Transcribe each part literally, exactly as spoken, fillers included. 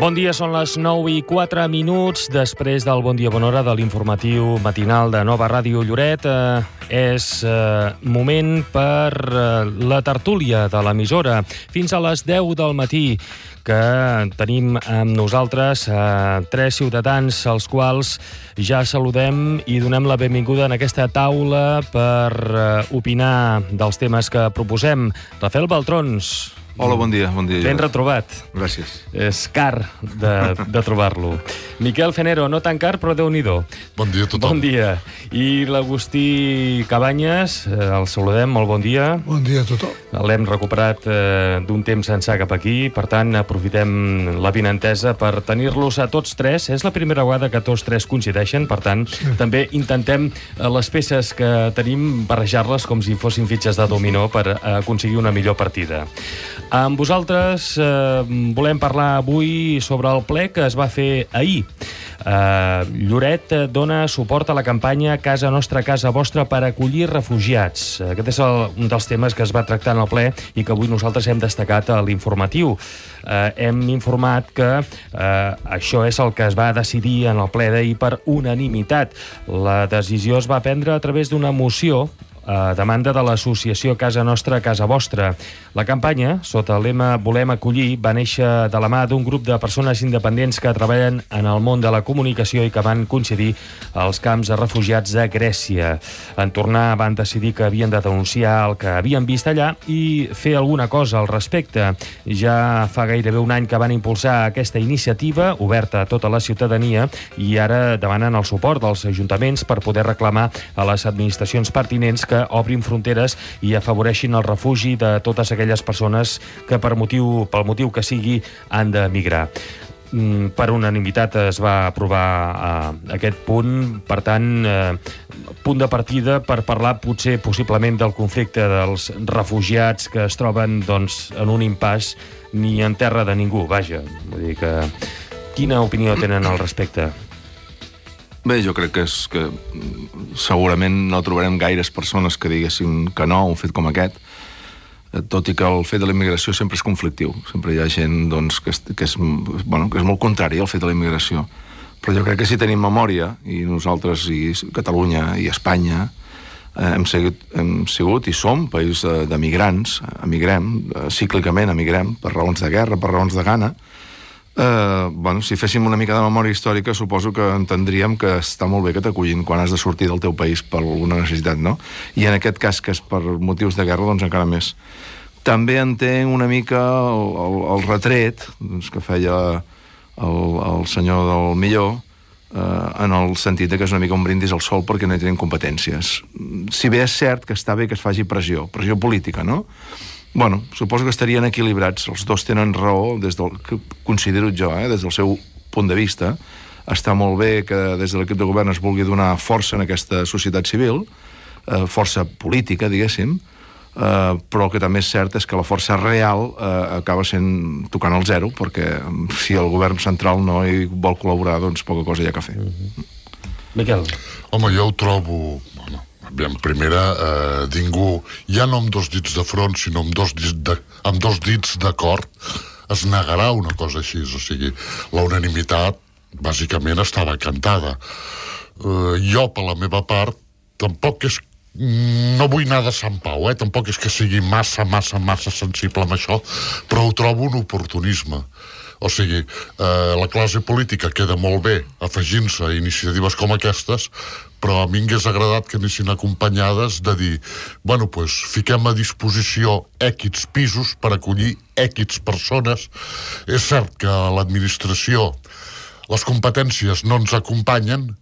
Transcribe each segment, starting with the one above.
Bon dia, són les nou i quatre minuts. Després del Bon Dia Bona Hora de l'informatiu matinal de Nova Ràdio Lloret, eh, és eh, moment per eh, la tertúlia de l'emissora. Fins a les deu del matí, que tenim amb nosaltres eh, tres ciutadans als quals ja saludem i donem la benvinguda en aquesta taula per eh, opinar dels temes que proposem. Rafael Baltrons. Hola, bon dia. Bon dia. Ben retrobat. Gràcies. És car de, de trobar-lo. Miquel Fenero, no tan car, però Déu-n'hi-do. Bon dia a tothom. Bon dia. I l'Agustí Cabanyes, eh, el saludem, molt bon dia. Bon dia a tothom. L'hem recuperat eh, d'un temps ençà cap aquí, per tant, aprofitem la vinentesa per tenir-los a tots tres. És la primera vegada que tots tres coincideixen, per tant, sí. També intentem eh, les peces que tenim barrejar-les com si fossin fitxes de dominó per eh, aconseguir una millor partida. Amb vosaltres eh, volem parlar avui sobre el ple que es va fer ahir. Eh, Lloret dona suport a la campanya Casa Nostra, Casa Vostra per acollir refugiats. Aquest és el, un dels temes que es va tractar en el ple i que avui nosaltres hem destacat a l'informatiu. Eh, hem informat que eh, això és el que es va decidir en el ple d'ahir per unanimitat. La decisió es va prendre a través d'una moció a demanda de l'associació Casa Nostra, Casa Vostra. La campanya, sota el lema Volem acollir, va néixer de la mà d'un grup de persones independents que treballen en el món de la comunicació i que van coincidir als camps de refugiats de Grècia. En tornar van decidir que havien de denunciar el que havien vist allà i fer alguna cosa al respecte. Ja fa gairebé un any que van impulsar aquesta iniciativa, oberta a tota la ciutadania, i ara demanen el suport dels ajuntaments per poder reclamar a les administracions pertinents que obrin fronteres i afavoreixin el refugi de totes aquelles persones que per motiu, pel motiu que sigui han d'emigrar. Per unanimitat es va aprovar eh, aquest punt, per tant, eh, punt de partida per parlar potser possiblement del conflicte dels refugiats que es troben doncs, en un impàs ni en terra de ningú, vaja. Vull dir que... Quina opinió tenen al respecte? Bé, jo crec que és que segurament no trobarem gaires persones que diguessin que no a un fet com aquest, tot i que el fet de la immigració sempre és conflictiu. Sempre hi ha gent doncs, que, és, que, és, bueno, que és molt contrari al fet de la immigració. Però jo crec que si tenim memòria, i nosaltres, i Catalunya i Espanya, eh, hem, sigut, hem sigut i som país d'emigrants, emigrem, eh, cíclicament emigrem, per raons de guerra, per raons de gana. Uh, bueno, si féssim una mica de memòria històrica, suposo que entendríem que està molt bé que t'acullin quan has de sortir del teu país per alguna necessitat, no? I en aquest cas, que és per motius de guerra, doncs encara més. També entenc una mica el, el, el retret doncs, que feia el, el senyor del Millor, uh, en el sentit que és una mica un brindis al sol perquè no hi tenen competències. Si bé és cert que està bé que es faci pressió, pressió política, no? Bueno, suposo que estarien equilibrats. Els dos tenen raó, des del que considero jo, eh, des del seu punt de vista. Està molt bé que des de l'equip de govern es vulgui donar força en aquesta societat civil, eh, força política, diguéssim, eh, però el que també és cert és que la força real eh, acaba sent tocant al zero, perquè si el govern central no hi vol col·laborar, doncs poca cosa hi ha que fer. Mm-hmm. Miquel. Home, jo ho trobo... Bueno, en primera, eh, ningú, ja no amb dos dits de front, sinó amb dos dits de, amb dos dits d'acord, es negarà una cosa així. O sigui, la unanimitat, bàsicament, estava cantada. Eh, jo, per la meva part, tampoc és... No vull anar de Sant Pau, eh? Tampoc és que sigui massa, massa, massa sensible amb això, però ho trobo un oportunisme. O sigui, eh, la classe política queda molt bé afegint-se a iniciatives com aquestes, però a mi m'hagués agradat que anessin acompanyades de dir, bueno, doncs fiquem a disposició equis pisos per acollir equis persones. És cert que l'administració, les competències no ens acompanyen,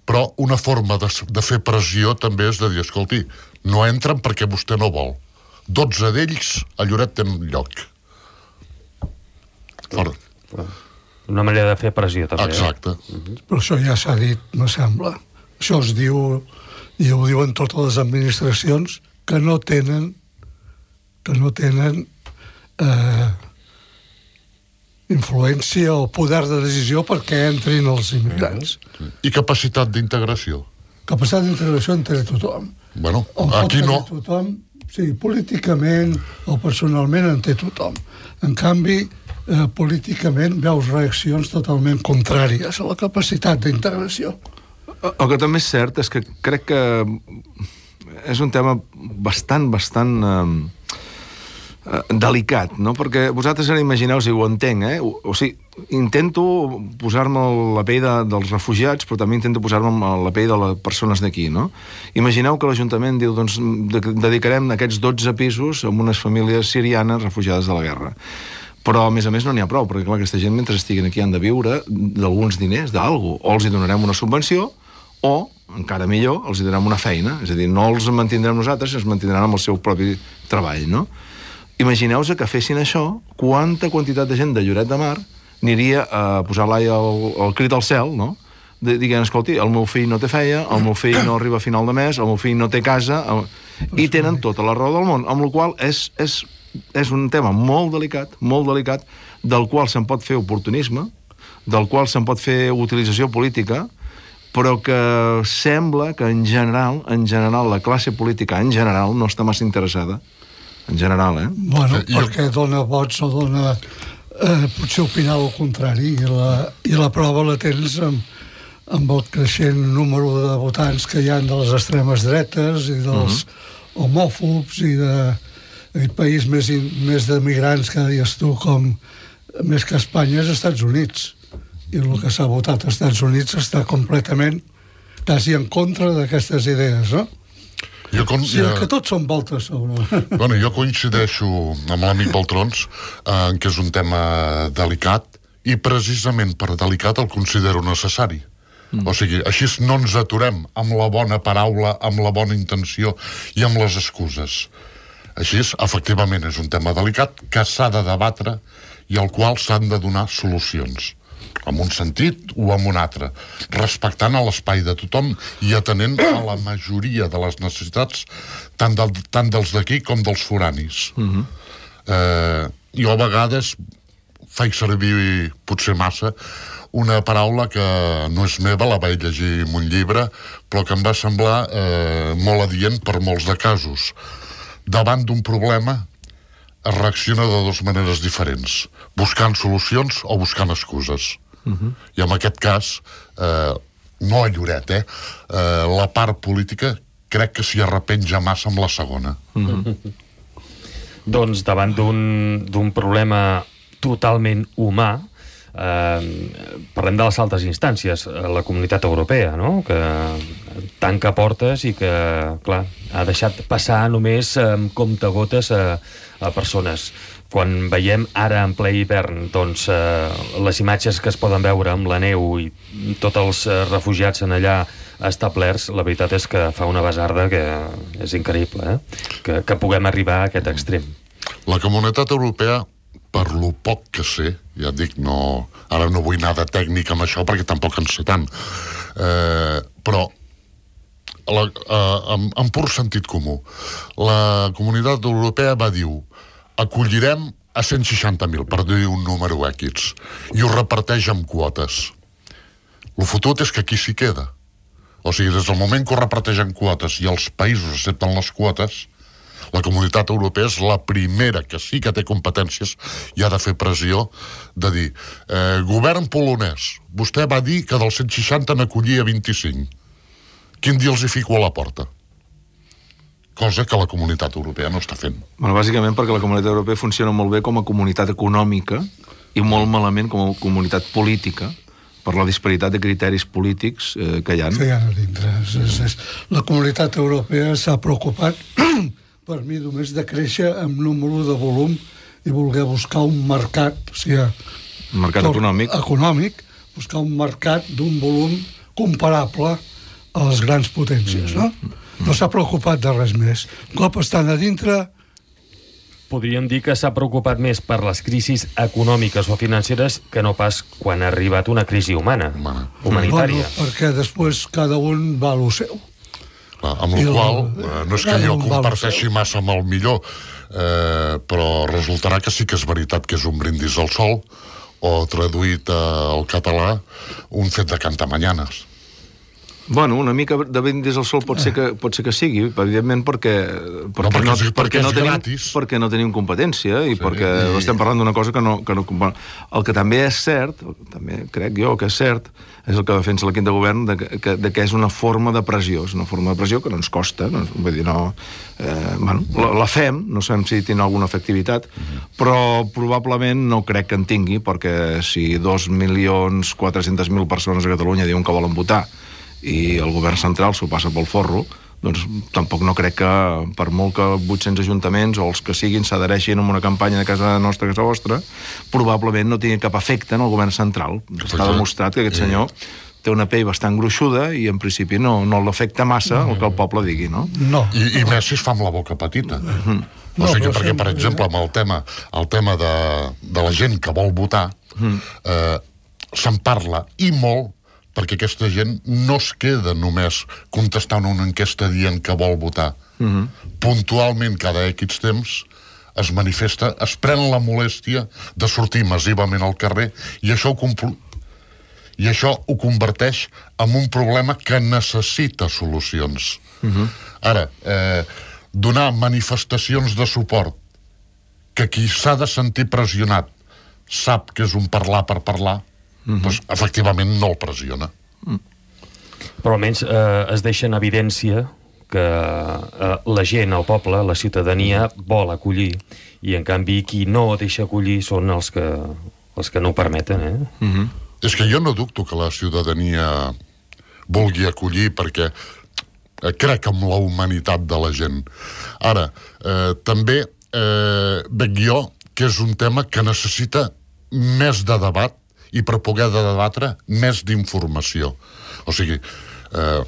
però una forma de, de fer pressió també és de dir, escolti, no entren perquè vostè no vol. dotze d'ells a Lloret tenen lloc. Fora. Una manera de fer pressió, també. Exacte. Eh? Uh-huh. Però això ja s'ha dit, me sembla. Això es diu, i ho diuen totes les administracions, que no tenen que no tenen eh, influència o poder de decisió perquè entrin els immigrants. I capacitat d'integració? Capacitat d'integració en té tothom. Bueno, o aquí no. Tothom, sí, políticament o personalment en té tothom. En canvi, eh, políticament veus reaccions totalment contràries a la capacitat d'integració. El que també és cert és que crec que és un tema bastant, bastant eh, delicat, no? Perquè vosaltres ara imagineu, si ho entenc, eh? O, o sigui, intento posar-me la pell de, dels refugiats, però també intento posar-me la pell de les persones d'aquí, no? Imagineu que l'Ajuntament diu, doncs, dedicarem aquests dotze pisos a unes famílies sirianes refugiades de la guerra. Però, a més a més, no n'hi ha prou, perquè, clar, aquesta gent, mentre estiguen aquí, han de viure d'alguns diners, d'algú. O els hi donarem una subvenció, o, encara millor, els hi donarem una feina. És a dir, no els mantindrem nosaltres, els mantindran amb el seu propi treball, no? Imagineu-vos que fessin això, quanta quantitat de gent de Lloret de Mar aniria a posar l'ai al, al crit al cel, no? De, diguent, escolti, el meu fill no té feina, el meu fill no arriba a final de mes, el meu fill no té casa, el... i tenen tota la raó del món, amb la qual és, és, és un tema molt delicat, molt delicat, del qual se'n pot fer oportunisme, del qual se'n pot fer utilització política, però que sembla que en general, en general, la classe política en general no està massa interessada. En general, eh? Bueno, perquè dona vots o dona... Eh, potser opinar el contrari, i la, i la prova la tens amb, amb el creixent número de votants que hi ha de les extremes dretes i dels uh-huh. homòfobs i de aquest país més, més de migrants que deies tu, com més que Espanya és Estats Units. I el que s'ha votat als Estats Units està completament quasi en contra d'aquestes idees, no? Jo con... Sí, que tots són voltes sobre... Bueno, jo coincideixo amb l'amic Baltrons en què és un tema delicat i precisament per delicat el considero necessari. Mm. O sigui, així no ens aturem amb la bona paraula, amb la bona intenció i amb les excuses. Així, efectivament, és un tema delicat que s'ha de debatre i al qual s'han de donar solucions, en un sentit o en un altre, respectant a l'espai de tothom i atenent a la majoria de les necessitats tant, del, tant dels d'aquí com dels foranis. Uh-huh. eh, jo a vegades faig servir, potser massa, una paraula que no és meva, la vaig llegir en un llibre, però que em va semblar eh, molt adient per molts de casos. Davant d'un problema es reacciona de dues maneres diferents, buscant solucions o buscant excuses. Uh-huh. I en aquest cas, eh, no a Lloret, eh, eh, la part política crec que s'hi arrepenja massa amb la segona. Uh-huh. Doncs davant d'un d'un problema totalment humà, eh, parlem de les altres instàncies, la Comunitat Europea, no?, que tanca portes i que, clar, ha deixat passar només amb comptagotes a, a persones. Quan veiem ara en ple hivern, doncs, eh, les imatges que es poden veure amb la neu i tots els eh, refugiats en allà establerts, la veritat és que fa una basarda que és increïble, eh? que, que puguem arribar a aquest extrem. La Comunitat Europea, per lo poc que sé, ja et dic, no, ara no vull anar de tècnic amb això perquè tampoc en sé tant, eh, però la, eh, en, en pur sentit comú, la Comunitat Europea va dir acollirem a cent seixanta mil, per dir un número X, i ho reparteix en quotes. El fotut és que aquí s'hi queda. O sigui, des del moment que ho reparteix en quotes i els països accepten les quotes, la Comunitat Europea és la primera que sí que té competències i ha de fer pressió de dir, eh, govern polonès, vostè va dir que dels cent seixanta n'acollia vint-i-cinc. Quin dia els hi fico a la porta? Cosa que la Comunitat Europea no està fent. Bueno, bàsicament perquè la Comunitat Europea funciona molt bé com a comunitat econòmica i molt malament com a comunitat política per la disparitat de criteris polítics eh, que hi ha. Que hi ha a dintre. És, és, és. La Comunitat Europea s'ha preocupat per mi només de créixer amb número de volum i voler buscar un mercat, o sigui, un mercat econòmic. econòmic, buscar un mercat d'un volum comparable a les grans potències, no? No s'ha preocupat de res més. Un cop estan a dintre... Podríem dir que s'ha preocupat més per les crisis econòmiques o financeres que no pas quan ha arribat una crisi humana, humana. humanitària. Bueno, perquè després cada un va a lo seu. Clar, amb la qual eh, no és que jo comparteixi massa amb el millor, eh, però resultarà que sí que és veritat que és un brindis al sol, o traduït eh, al català, un fet de cantar manyanes. Bueno, una mica de brindis al sol pot ser que, pot ser que sigui, evidentment perquè, perquè, no, perquè, no, és, perquè, no és tenim, gratis. perquè no tenim competència i sí, perquè i... estem parlant d'una cosa que no, que no... El que també és cert, també crec jo que és cert, és el que defensa l'equip de govern, de que, de que és una forma de pressió, és una forma de pressió que no ens costa, no, vull dir, no... Eh, bueno, la, la fem, no sabem si té alguna efectivitat, mm-hmm. però probablement no crec que en tingui, perquè si dos milions quatre-centes mil persones a Catalunya diuen que volen votar i el govern central s'ho passa pel forro, doncs tampoc no crec que per molt que vuit-cents ajuntaments o els que siguin s'adhereixin a una campanya de casa nostra, casa vostra, probablement no tingui cap efecte en el govern central. Està demostrat que aquest senyor té una pell bastant gruixuda i en principi no, no l'afecta massa el que el poble digui, no? No. I, i més si es fa amb la boca petita. Mm-hmm. O No, sigui, però perquè, sempre- per exemple, amb el tema, el tema de, de la gent que vol votar, mm. eh, se'n parla, i molt, perquè aquesta gent no es queda només contestant una enquesta dient que vol votar. Mm-hmm. Puntualment, cada X temps, es manifesta, es pren la molèstia de sortir massivament al carrer, i això ho, compl... i això ho converteix en un problema que necessita solucions. Mm-hmm. Ara, eh, donar manifestacions de suport que qui s'ha de sentir pressionat sap que és un parlar per parlar, mm-hmm. doncs, efectivament no el pressiona. Mm. Però almenys eh, es deixa en evidència que eh, la gent, el poble, la ciutadania vol acollir, i en canvi qui no deixa acollir són els que, els que no ho permeten, eh? Mm-hmm. És que jo no dubto que la ciutadania vulgui acollir, perquè eh, crec en la humanitat de la gent. Ara, eh, també eh, veig jo que és un tema que necessita més de debat, i per poder de debatre més d'informació. O sigui, eh,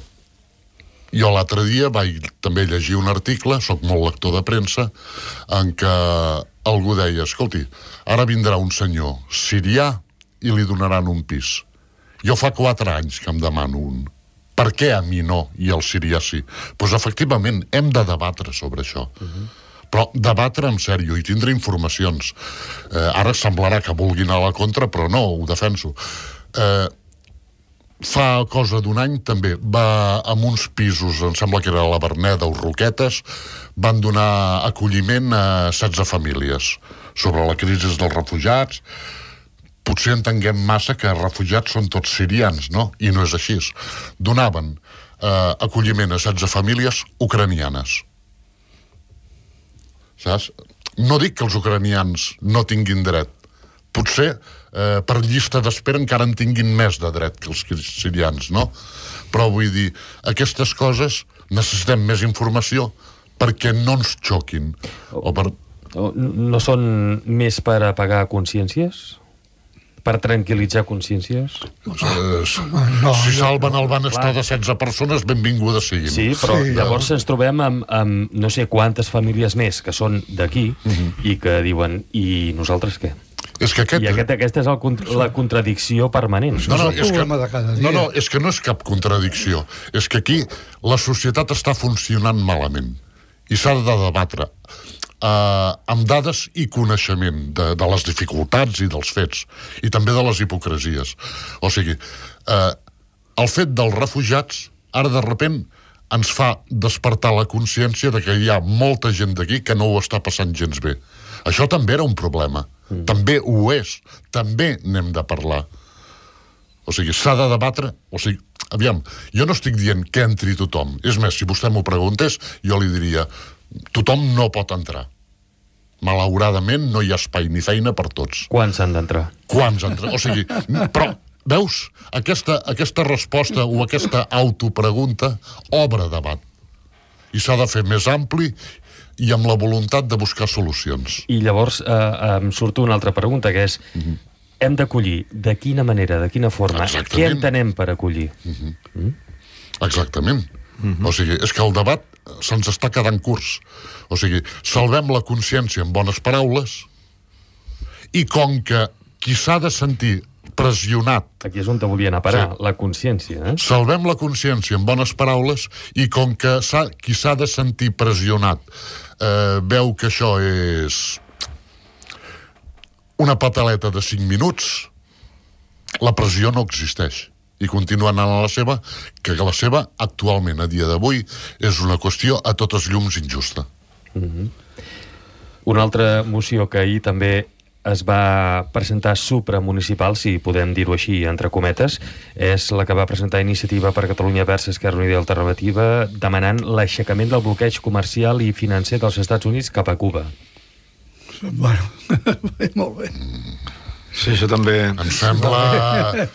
jo l'altre dia vaig també llegir un article, soc molt lector de premsa, en què algú deia, escolti, ara vindrà un senyor sirià i li donaran un pis. Jo fa quatre anys que em demano un. Per què a mi no i al sirià sí? Doncs efectivament hem de debatre sobre això. Uh-huh. Però debatre en sèrio i tindre informacions. Eh, ara semblarà que vulguin anar a la contra, però no, ho defenso. Eh, fa cosa d'un any també va amb uns pisos, em sembla que era la Verneda o Roquetes, van donar acolliment a setze famílies sobre la crisi dels refugiats. Potser entenguem massa que refugiats són tots sirians, no? I no és així. Donaven eh, acolliment a setze famílies ucranianes. Saps? No dic que els ucranians no tinguin dret. Potser eh, per llista d'espera encara en tinguin més de dret que els sirians, no? Però vull dir, aquestes coses necessitem més informació perquè no ens xoquin. O per... No són més per apagar consciències? Per tranquil·litzar consciències? Eh, no, si jo- salven el benestar de setze persones, benvingudes siguin. Sí, però Sí, llavors ens trobem amb, amb no sé quantes famílies més que són d'aquí i que diuen, i nosaltres què? És que aquest... I aquest, aquesta és el, cont- la contradicció permanent. No, no, és el és que, problema de cada dia. no, no, és que no és cap contradicció. És que aquí la societat està funcionant malament i s'ha de debatre eh, amb dades i coneixement de, de les dificultats i dels fets i també de les hipocresies. O sigui, eh, el fet dels refugiats ara de repent ens fa despertar la consciència de que hi ha molta gent d'aquí que no ho està passant gens bé. Això també era un problema. Mm. També ho és. També n'hem de parlar. O sigui, s'ha de debatre... O sigui, aviam, jo no estic dient que entri tothom. És més, si vostè m'ho preguntés, jo li diria tothom no pot entrar. Malauradament no hi ha espai ni feina per tots. Quan s'han d'entrar? Quants entren? O sigui, però, veus? Aquesta, aquesta resposta o aquesta autopregunta obre debat. I s'ha de fer més ampli i amb la voluntat de buscar solucions. I llavors eh, em surt una altra pregunta, que és mm-hmm. hem d'acollir de quina manera, de quina forma? Exactament. Què entenem per acollir? Mm-hmm. Mm? Exactament. Mm-hmm. O sigui, és que el debat se'ns està quedant curts. O sigui, salvem la consciència amb bones paraules i com que qui s'ha de sentir pressionat... Aquí és on te volia anar a parar, Sí. la consciència. Eh? Salvem la consciència amb bones paraules i com que s'ha, qui s'ha de sentir pressionat eh, veu que això és una pataleta de cinc minuts, la pressió no existeix. i continua anant a la seva, que la seva, actualment, a dia d'avui, és una qüestió a totes llums injusta. Mm-hmm. Una altra moció que ahir també es va presentar supramunicipal, si podem dir-ho així, entre cometes, és la que va presentar Iniciativa per Catalunya Verds Esquerra Unida i Alternativa, demanant l'aixecament del bloqueig comercial i financer dels Estats Units cap a Cuba. Bueno, molt bé. Sí, això també... Em sembla...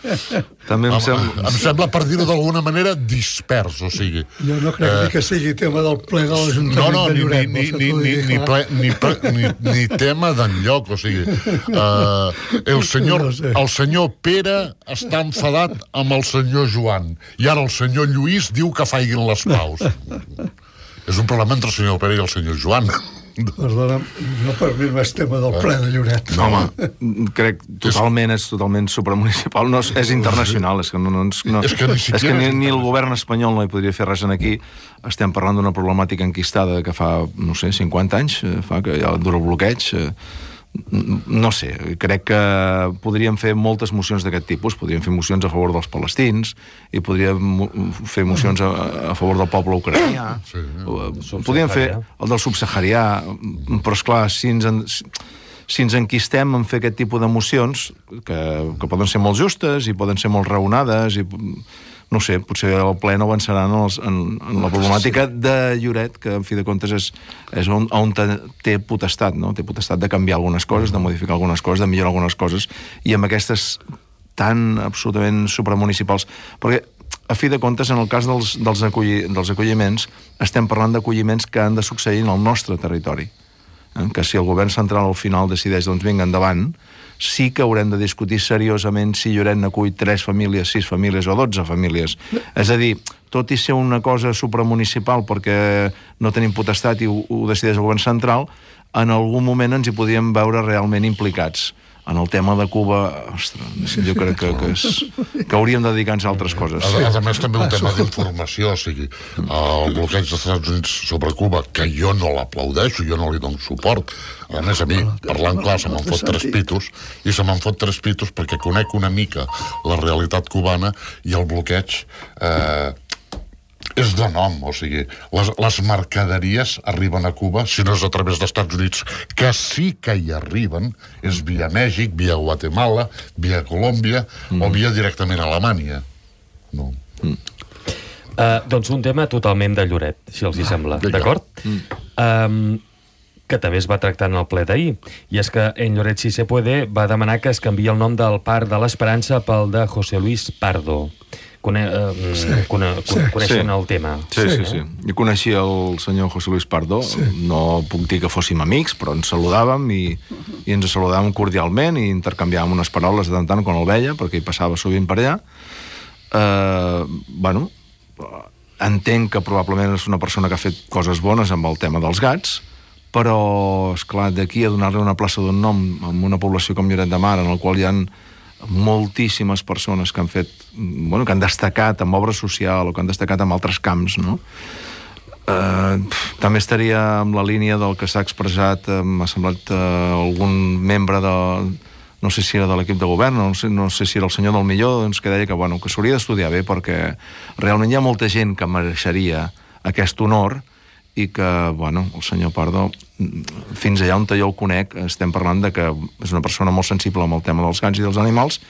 també em sembla... Em sembla, per dir-ho d'alguna manera, dispers, o sigui... Jo no crec eh... que sigui tema del ple de l'Ajuntament no, no, de Lloret. Ni, ni, ni, ni, ni, ple, ni, ple, ni, ni tema d'enlloc, o sigui... Uh, el, senyor, no sé. el senyor Pere està enfadat amb el senyor Joan, i ara el senyor Lluís diu que faiguin les paus. És un problema entre el senyor Pere i el senyor Joan. Perdona, no per mi no és tema del ple de Lloret. No, home, crec totalment, és totalment supramunicipal, no, és, és internacional, és que, no, no, no, és que, ni, és que ni, ni el govern espanyol no hi podria fer res en aquí. Estem parlant d'una problemàtica enquistada que fa, no sé, cinquanta anys, fa que ja dura el bloqueig. No sé, crec que podríem fer moltes mocions d'aquest tipus, podríem fer mocions a favor dels palestins i podríem fer mocions a, a favor del poble ucranià, sí, sí. Podríem fer el del subsaharià, però esclar, si ens, en, si ens enquistem en fer aquest tipus de mocions, que, que poden ser molt justes i poden ser molt raonades i... no sé, potser el ple no avançarà en, els, en, en la problemàtica de Lloret, que en fi de comptes és, és on, on té potestat, no? Té potestat de canviar algunes coses, de modificar algunes coses, de millorar algunes coses, i amb aquestes tan absolutament supramunicipals, perquè a fi de comptes, en el cas dels, dels, acolli, dels acolliments, estem parlant d'acolliments que han de succeir en el nostre territori, eh? Que si el govern central al final decideix, doncs vinga, endavant, sí que haurem de discutir seriosament si Lloret n'acull tres famílies, sis famílies o dotze famílies. És a dir, tot i ser una cosa supramunicipal perquè no tenim potestat i ho, ho decideix el govern central, en algun moment ens hi podríem veure realment implicats. En el tema de Cuba, ostres, jo crec que, que, és, que hauríem de dedicar-nos a altres coses. A, a més, també un tema d'informació, o sigui, el bloqueig dels Estats Units sobre Cuba, que jo no l'aplaudeixo, jo no li dono suport. A més, a mi, parlant clar, se me'n fot tres pitos, i se me'n fot tres pitos perquè conec una mica la realitat cubana i el bloqueig... Eh, és de nom, o sigui, les, les mercaderies arriben a Cuba, si no és a través dels Estats Units, que sí que hi arriben, és via Mèxic, via Guatemala, via Colòmbia, mm. o via directament a Alemanya. No. Mm. Uh, doncs un tema totalment de Lloret, si els hi sembla, ah, d'acord? Mm. Um, que també es va tractar en el ple d'ahir, i és que en Lloret Si Se Puede va demanar que es canviï el nom del Parc de l'Esperança pel de José Luis Pardo. Cone, uh, sí, cone, sí, coneixen sí. el tema. Sí, sí, sí, sí. Jo coneixia el senyor José Luis Pardo, sí. No puc dir que fóssim amics, però ens saludàvem i, i ens saludàvem cordialment i intercanviàvem unes paraules de tant en tant quan el veia, perquè hi passava sovint per allà. Uh, bueno, entenc que probablement és una persona que ha fet coses bones amb el tema dels gats, però, esclar, d'aquí a donar-li una plaça d'un nom en una població com Lloret de Mar, en el qual hi ha moltíssimes persones que han fet, bueno, que han destacat en obra social o que han destacat en altres camps, no? Eh, també estaria en la línia del que s'ha expressat, eh, m'ha semblat eh, algun membre de, no sé si era de l'equip de govern, no sé, no sé si era el senyor del Millor, doncs que deia que, bueno, que s'hauria d'estudiar bé perquè realment hi ha molta gent que mereixeria aquest honor i que, bueno, el senyor Pardo, fins allà on jo el conec, estem parlant de que és una persona molt sensible amb el tema dels gats i dels animals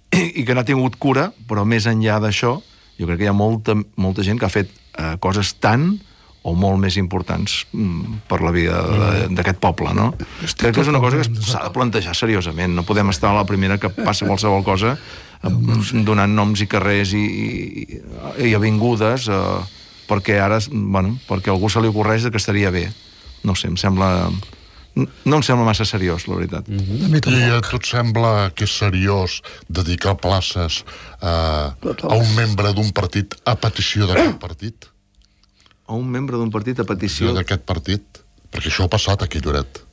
i, i que n'ha tingut cura, però més enllà d'això, jo crec que hi ha molta, molta gent que ha fet eh, coses tan o molt més importants mm, per la vida d'aquest poble, no? Crec que és una cosa que s'ha de plantejar seriosament. No podem estar a la primera que passa qualsevol cosa eh, donant noms i carrers i, i, i avingudes eh, perquè ara, bueno, perquè a algú se li ocorreix que estaria bé. No sé, em sembla... No em sembla massa seriós, la veritat. Mm-hmm. I a tu et sembla que és seriós dedicar places a, a un membre d'un partit a petició d'aquest partit? A un membre d'un partit a petició... d'aquest partit? Perquè això ha passat aquí a Lloret.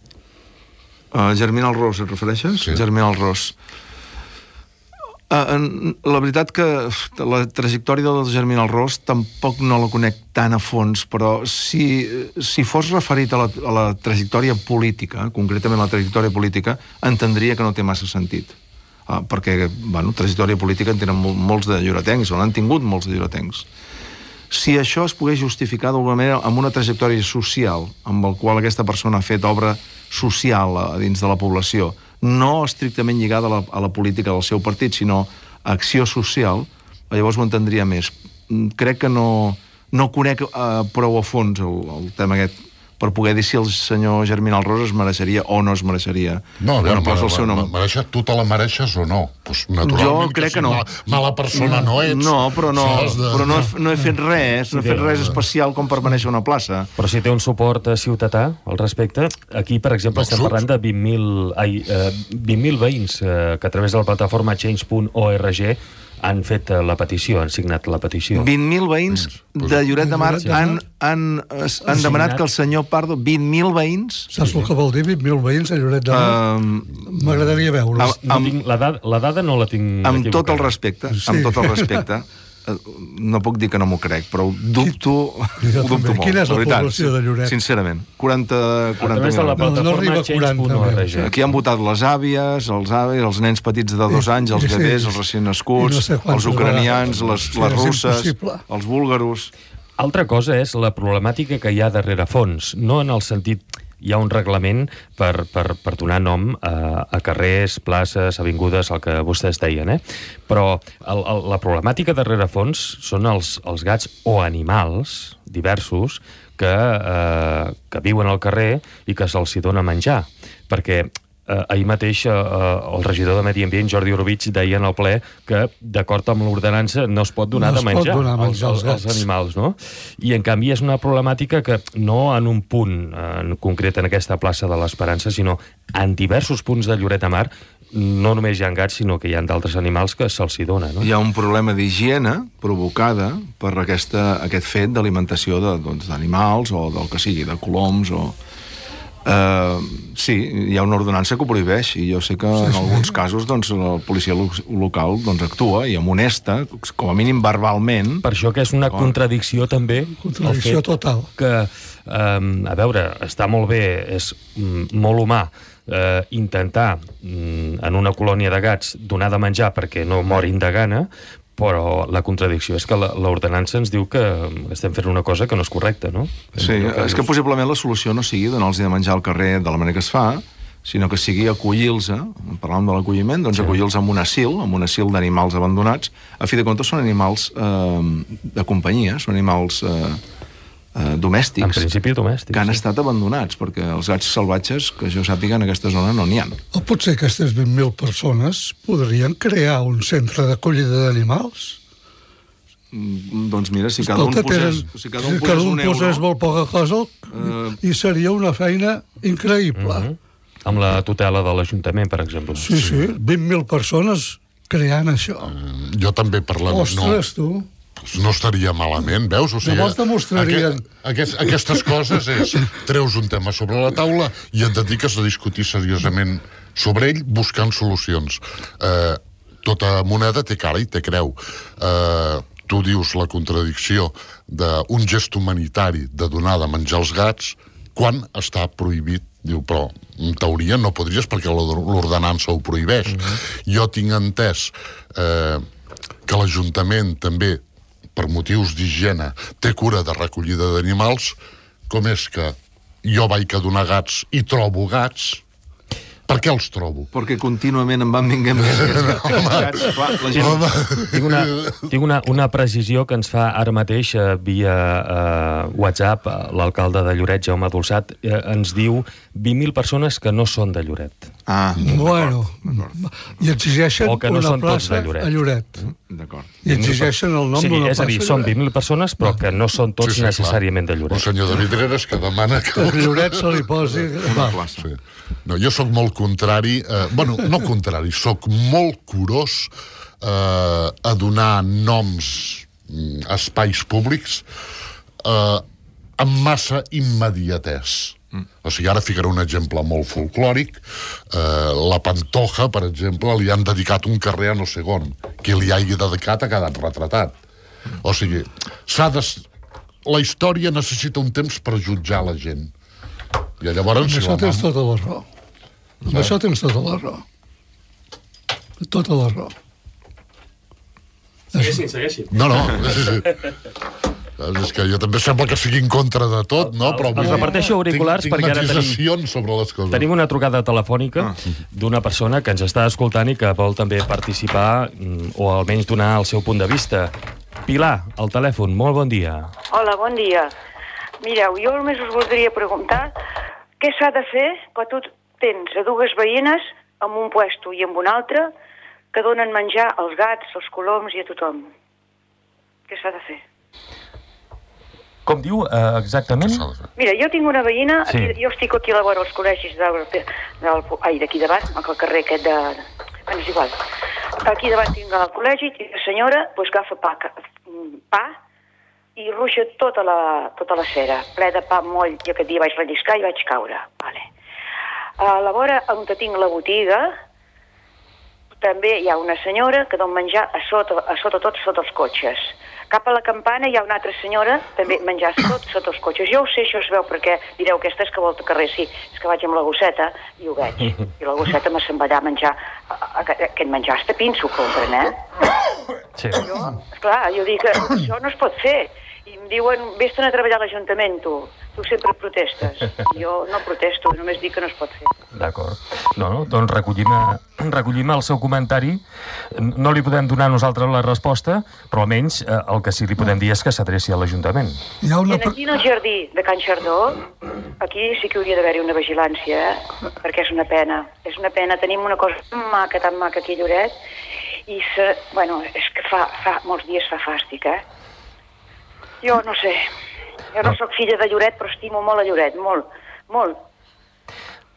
Uh, Germinal Ros, et refereixes? Sí. Germinal Ros. Uh, la veritat que la trajectòria del Germinal Ros tampoc no la conec tan a fons, però si, si fos referit a la, a la trajectòria política, concretament la trajectòria política, entendria que no té massa sentit. uh, perquè, bueno, trajectòria política en tenen mol, molts de lloretencs, o n'han tingut molts de lloretencs. Si això es pogués justificar d'alguna manera amb una trajectòria social, amb el qual aquesta persona ha fet obra social a, a dins de la població, no estrictament lligada a la, a la política del seu partit, sinó a acció social, llavors ho entendria més. Crec que no, no conec uh, prou a fons el, el tema aquest per poder dir si el senyor Germinal Ros es mereixeria o no es mereixeria. No, bueno, posa el seu nom. Mereixer, tu te la mereixes o no? Pues, naturalment, jo crec que, que no. Mala, mala persona no, no ets. No, però no, de... però no, he, no he fet res, no he fet res especial com per mereixer una plaça. Però si té un suport ciutadà al respecte, aquí, per exemple, no, estem parlant de vint mil eh, veïns eh, que a través de la plataforma change punt org han fet la petició, han signat la petició. vint mil veïns de Lloret de Mar han, han, han demanat que el senyor Pardo... vint mil veïns? Saps el que vol dir vint mil veïns a Lloret de Mar? Um, M'agradaria veure. No tinc, la, dada, la dada no la tinc amb tot el respecte, sí. amb tot el respecte, no puc dir que no m'ho crec, però ho dubto, ho dubto molt. Quina és la població de Lloret? Sincerament, quaranta, quaranta mil. No, no arriba a quaranta. Aquí han votat les àvies, els avis, els nens petits de dos anys, els bebès, els recient nascuts, els ucranians, les, les russes, els búlgaros... Altra cosa és la problemàtica que hi ha darrere fons, no en el sentit... Hi ha un reglament per, per, per donar nom a, a carrers, places, avingudes, el que vostès deien, eh? Però el, el, la problemàtica darrere fons són els, els gats o animals diversos que, eh, que viuen al carrer i que se'ls dona menjar. Perquè eh, ahir mateix eh, el regidor de Medi Ambient, Jordi Orobitg, deia en el ple que, d'acord amb l'ordenança, no es pot donar no de menjar, donar menjar als, als, als animals, no? I, en canvi, és una problemàtica que no en un punt en concret en aquesta plaça de l'Esperança, sinó en diversos punts de Lloret de Mar, no només hi ha gats, sinó que hi ha d'altres animals que se'ls hi dona, no? Hi ha un problema d'higiene provocada per aquesta, aquest fet d'alimentació d'animals, doncs, o del que sigui, de coloms, o... Uh, sí, hi ha una ordenança que ho prohibeix i jo sé que sí, en alguns sí. casos doncs, la policia lo local doncs, actua i amonesta, com a mínim verbalment. Per això que és una contradicció també contradicció total que, um, a veure, està molt bé, és mm, molt humà eh, intentar mm, en una colònia de gats donar de menjar perquè no morin de gana, però la contradicció és que l'ordenança ens diu que estem fent una cosa que no és correcta, no? Sí, és que possiblement la solució no sigui donar-los de menjar al carrer de la manera que es fa, sinó que sigui acollir-los, parlàvem de l'acolliment, doncs sí. acollir-los en un asil, en un asil d'animals abandonats. A fi de comptes són animals eh, de companyia, són animals eh, eh, domèstics. En principi domèstics. Que han sí. estat abandonats, perquè els gats salvatges, que jo sàpiga, en aquesta zona no n'hi ha. O potser aquestes vint mil persones podrien crear un centre d'acollida d'animals? Mm, doncs mira, si cada Escolta, un posés, tenen, si cada un posés, cada un un euro, posés molt poca cosa uh, i seria una feina increïble. Uh -huh. Amb la tutela de l'Ajuntament, per exemple. Sí, sí, sí vint mil persones creant això. Uh, jo també parlant... Ostres, no, tu... No estaria malament, veus? O sigui, llavors demostrarien... Aquest, aquestes coses és... Treus un tema sobre la taula i et dediques a discutir seriosament sobre ell buscant solucions. Eh, tota moneda té cara i té creu. Eh, tu dius la contradicció d'un gest humanitari de donar de menjar als gats quan està prohibit. Diu, però en teoria no podries perquè l'ordenança ho prohibeix. Mm-hmm. Jo tinc entès eh, que l'Ajuntament també per motius d'higiene, té cura de recollida d'animals, com és que jo vaig a donar gats i trobo gats, per què els trobo? Perquè contínuament em van vinguent més gats. Clar, la gent... Tinc, una, tinc una, una precisió que ens fa ara mateix eh, via eh, WhatsApp l'alcalde de Lloret, Jaume Dolçat, eh, ens diu vint mil persones que no són de Lloret. Ah, bueno, i exigeixen o que no una són tots plaça de Lloret. a Lloret. D'acord. I exigeixen el nom sí, d'una plaça. És a dir, són vint mil persones, però que no són tots sí, sí, necessàriament clar. de Lloret. Un senyor de Vidreres que demana que... Que Lloret se li posi... Una plaça. Sí. No, jo sóc molt contrari, eh, bueno, no contrari, sóc molt curós eh, a donar noms a espais públics eh, amb massa immediatès. Mm. O sigui, ara ficaré un exemple molt folclòric. Eh, la Pantoja, per exemple, li han dedicat un carrer a no sé on. Qui li hagi dedicat ha quedat retratat. O sigui, s'ha de... la història necessita un temps per jutjar la gent. I llavors... Amb això tens tota la raó. Amb això tens tota la raó. Tota la raó. Segueixin, segueixin. No, no. És que jo també sembla que sigui en contra de tot, no? Però Els reparteixo auriculars tinc, perquè ara tenim... matisacions sobre les coses. Tenim una trucada telefònica d'una persona que ens està escoltant i que vol també participar o almenys donar el seu punt de vista. Pilar, al telèfon, molt bon dia. Hola, bon dia. Mireu, jo només us voldria preguntar què s'ha de fer quan tu tens a dues veïnes en un puesto i en un altre que donen menjar als gats, als coloms i a tothom. Què s'ha de fer? Com diu uh, exactament? Mira, jo tinc una veïna, Sí. aquí, jo estic aquí a la vora dels col·legis del, del, ai, d'aquí davant, al carrer aquest de... Bueno, és igual. Aquí davant tinc el col·legi i la senyora pues, agafa pa, pa i ruixa tota la, tota la cera, ple de pa moll. Jo aquest dia vaig relliscar i vaig caure. Vale. A la vora on tinc la botiga també hi ha una senyora que dona menjar a sota, a sota tot sota els cotxes. Cap a la campana hi ha una altra senyora també menjar tot sota els cotxes. Jo ho sé, això es veu perquè direu aquesta és que volta carrer. Sí, és que vaig amb la gosseta i ho veig. I la gosseta me se'n va allà a menjar. Aquest menjar està pinso, compren, eh? Sí. Jo, esclar, jo dic, això no es pot fer. I em diuen, vés-te'n a treballar a l'Ajuntament, tu. Tu sempre protestes. Jo no protesto, només dic que no es pot fer. D'acord. No, no, doncs recollim, recollim el seu comentari. No li podem donar nosaltres la resposta, però almenys eh, el que sí li podem dir és que s'adreci a l'Ajuntament. Hi ha I una... aquí en el jardí de Can Xardó, aquí sí que hauria d'haver-hi una vigilància, eh? Perquè és una pena. És una pena. Tenim una cosa tan maca, tan maca aquí a Lloret, i se... bueno, és que fa, fa molts dies fa fàstic, eh? Jo no sé. Jo no sóc filla de Lloret, però estimo molt a Lloret, molt, molt.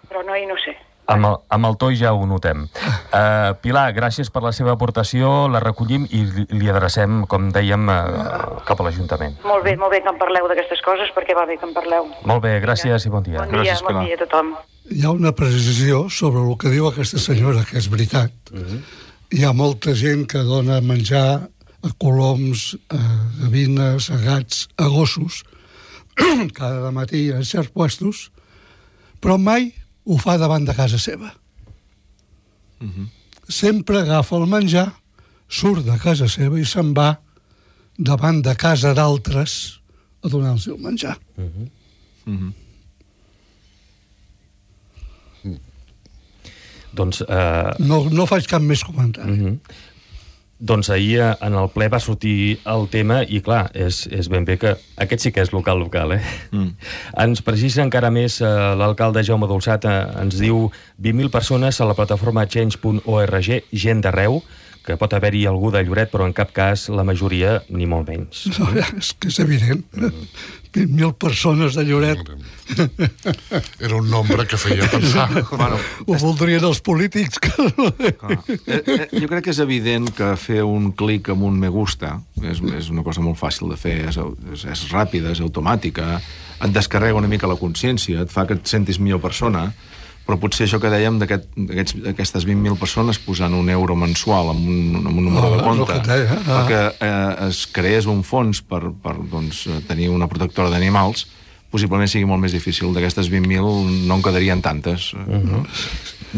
Però no, i no sé. Amb el, amb el to ja ho notem. Uh, Pilar, gràcies per la seva aportació, la recollim i li, li adrecem, com dèiem, uh, cap a l'Ajuntament. Molt bé, molt bé que em parleu d'aquestes coses, perquè va bé que em parleu. Molt bé, gràcies i bon dia. Bon dia, Gràcies, bon Pilar. dia a tothom. Hi ha una precisió sobre el que diu aquesta senyora, que és veritat. Uh-huh. Hi ha molta gent que dona menjar a coloms, a gavines, a gats, a gossos, cada matí en certs puestos, però mai ho fa davant de casa seva. Uh-huh. Sempre agafa el menjar, surt de casa seva i se'n va davant de casa d'altres a donar el seu menjar. Uh-huh. Uh-huh. Doncs... Uh... No, no faig cap més comentari. Uh-huh. Doncs ahir en el ple va sortir el tema i, clar, és, és ben bé que aquest sí que és local local, eh? Mm. Ens precisa encara més eh, l'alcalde Jaume Dolçat, eh, ens diu vint mil persones a la plataforma change punt org, gent d'arreu, que pot haver-hi algú de Lloret, però en cap cas la majoria, ni molt menys. No, és que és evident. vint mil persones de Lloret. Era un nombre que feia pensar. Bueno, Ho voldrien els polítics. clar. Eh, eh, jo crec que és evident que fer un clic amb un me gusta és, és una cosa molt fàcil de fer, és, és, és ràpida, és automàtica, et descarrega una mica la consciència, et fa que et sentis millor persona, però potser això que dèiem d'aquestes vint mil persones posant un euro mensual amb un, amb un número Ah, de compte, és el que deia, ah. perquè eh, es creés un fons per, per doncs, tenir una protectora d'animals, possiblement sigui molt més difícil. D'aquestes vint mil no en quedarien tantes. Uh-huh. no?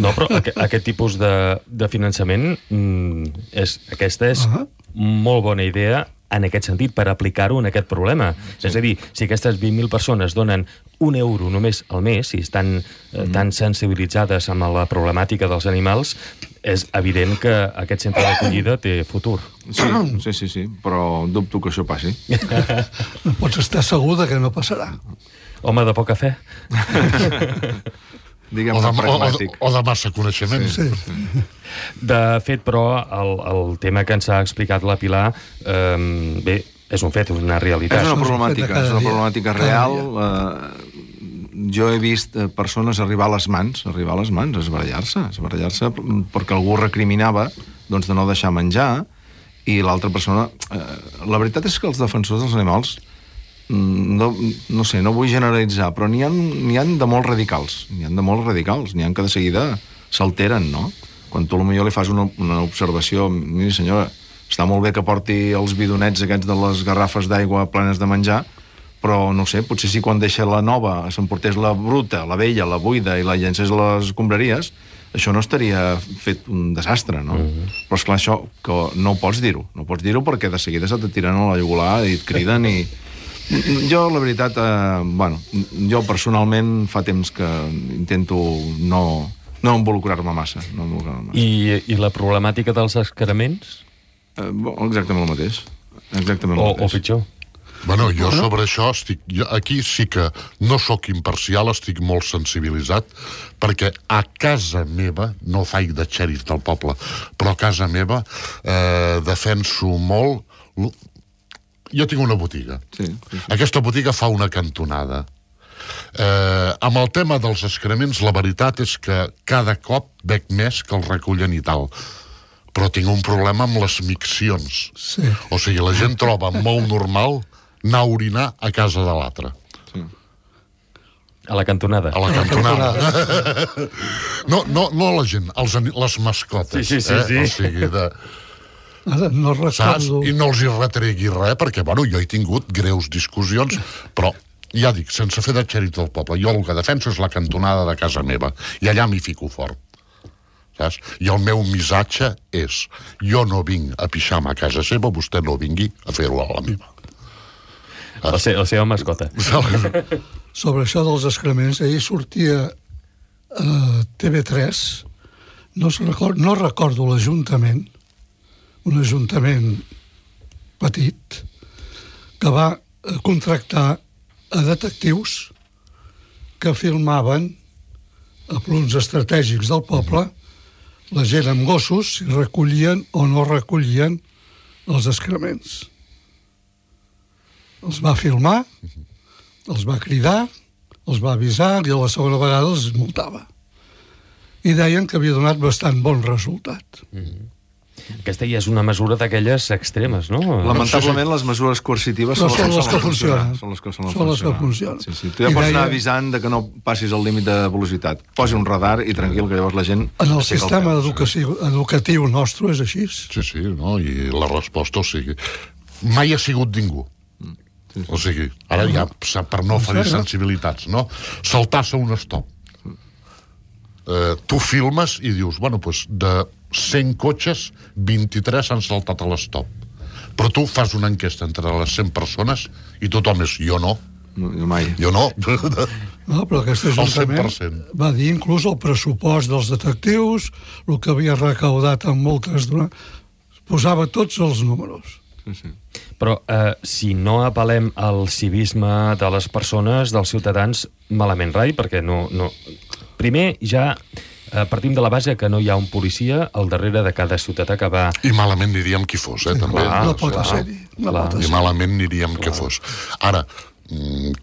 No, però aqu aquest tipus de, de finançament, mm, és, aquesta és Ah. molt bona idea en aquest sentit, per aplicar-ho en aquest problema. Sí. És a dir, si aquestes vint mil persones donen un euro només al mes, si estan eh, tan sensibilitzades amb la problemàtica dels animals, és evident que aquest centre d'acollida té futur. Sí, sí, sí, sí, però dubto que això passi. Pots estar segur de que no passarà. Home de poca fe. Diguem-ne O de, o, pragmàtic. o, o de massa coneixement. Sí. De fet, però, el, el tema que ens ha explicat la Pilar, eh, bé, és un fet, és una realitat. És una Això és un fet de problemàtica, cada és una dia. problemàtica Cada real. dia. Eh, jo he vist eh, persones arribar a les mans, arribar a les mans, esbarallar-se, esbarallar-se perquè algú recriminava doncs, de no deixar menjar, i l'altra persona... Eh, la veritat és que els defensors dels animals, no, no sé, no vull generalitzar, però n'hi ha, n'hi ha de molt radicals, n'hi ha de molt radicals, n'hi ha que de seguida s'alteren, no? Quan tu potser li fas una, una observació, miri senyora, està molt bé que porti els bidonets aquests de les garrafes d'aigua plenes de menjar, però no sé, potser si quan deixa la nova s'emportés la bruta, la vella, la buida i la llencés a les escombraries, això no estaria fet un desastre, no? Mm-hmm. Però, esclar, això que no pots dir-ho. No pots dir-ho perquè de seguida se te tiren a la llagular i et criden i... Jo, la veritat, eh, bueno, jo personalment fa temps que intento no, no involucrar-me massa. No involucrar-me massa. I, I la problemàtica dels excrements? Eh, exactament el mateix. Exactament el o, mateix. O pitjor? Bueno, jo sobre això estic... Jo aquí sí que no sóc imparcial, estic molt sensibilitzat, perquè a casa meva, no faig de xèrif del poble, però a casa meva eh, defenso molt... Jo tinc una botiga. Sí, sí, sí. Aquesta botiga fa una cantonada. Eh, amb el tema dels excrements, la veritat és que cada cop veig més que els recullen i tal. Però tinc un problema amb les miccions. Sí. O sigui, la gent troba molt normal anar a orinar a casa de l'altre. Sí. A la cantonada? A la cantonada. no, no, no la gent, els, les mascotes. Sí, sí, sí, eh? sí. O sigui, de... Ara no Saps? recordo... I no els hi retregui res, perquè, bueno, jo he tingut greus discussions, però, ja dic, sense fer de xèrit del poble, jo el que defenso és la cantonada de casa meva, i allà m'hi fico fort. Saps? I el meu missatge és, jo no vinc a pixar-me a casa seva, vostè no vingui a fer-ho a la meva. La, se la seva mascota. Sobre això dels excrements, ahir sortia a T V tres, no, record, no recordo l'Ajuntament, un ajuntament petit, que va contractar a detectius que filmaven a punts estratègics del poble la gent amb gossos si recollien o no recollien els excrements. Els va filmar, els va cridar, els va avisar i a la segona vegada els multava. I deien que havia donat bastant bon resultat. Mm-hmm. Aquesta ja és una mesura d'aquelles extremes, no? Lamentablement, les mesures coercitives són, són, són les que funcionen. Són les que, són les són les que funcionen. funcionen. Sí, sí. Tu ja I pots deia... anar avisant de que no passis el límit de velocitat. Posi un radar i tranquil, que llavors la gent... En el sistema el educatiu, educatiu nostre és així. Sí, sí, no? I la resposta, o sigui... Mai ha sigut ningú. Sí, sí. O sigui, ara ja, per no ferir sensibilitats, no? Saltar-se un stop. Eh, tu filmes i dius, bueno, doncs de cent cotxes, vint-i-tres s'han saltat a l'estop. Però tu fas una enquesta entre les cent persones i tothom és, jo no. No, jo mai. Jo no. No, però aquest ajuntament va dir inclús el pressupost dels detectius, el que havia recaudat en moltes... Posava tots els números. Sí, sí. Però eh, si no apel·lem al civisme de les persones, dels ciutadans, malament rai, perquè no... no... Primer, ja eh, partim de la base que no hi ha un policia al darrere de cada ciutadà que va... I malament aniríem qui fos, eh, també. Clar, no pot ser-hi. No pot I ser. malament aniríem qui fos. Ara,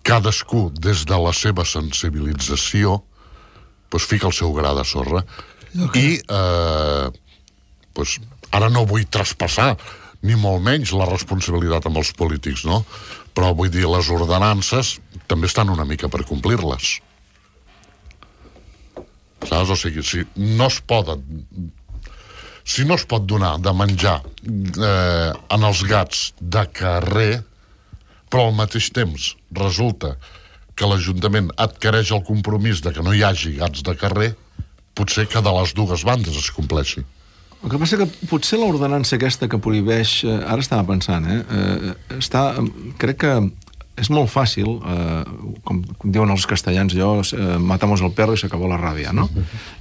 cadascú, des de la seva sensibilització, doncs fica el seu gra de sorra. I, eh, doncs, ara no vull traspassar ni molt menys la responsabilitat amb els polítics, no? Però vull dir, les ordenances també estan una mica per complir-les. Saps? O sigui, si no es poden... Si no es pot donar de menjar eh, en els gats de carrer, però al mateix temps resulta que l'Ajuntament adquireix el compromís de que no hi hagi gats de carrer, potser que de les dues bandes es compleixi. El que passa que potser l'ordenança aquesta que prohibeix... Eh, ara estava pensant, eh, eh? Està, crec que és molt fàcil, eh, com diuen els castellans, jo, eh, matamos el perro i s'acabó la ràbia, no?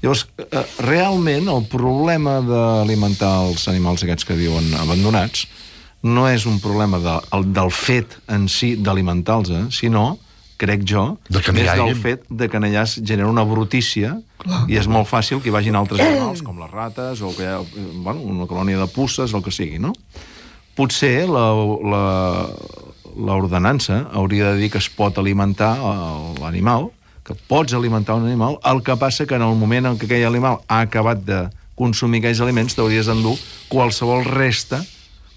Llavors, eh, realment, el problema d'alimentar els animals aquests que diuen abandonats no és un problema de, el, del fet en si d'alimentar-los, eh, sinó, crec jo, de que és del fet de que allà es genera una brutícia. Clar. I és molt fàcil que hi vagin altres animals, com les rates, o que hi ha, bueno, una colònia de puces, el que sigui, no? Potser la... la l'ordenança hauria de dir que es pot alimentar l'animal, que pots alimentar un animal, el que passa que en el moment en què aquell animal ha acabat de consumir aquells aliments t'hauries d'endur qualsevol resta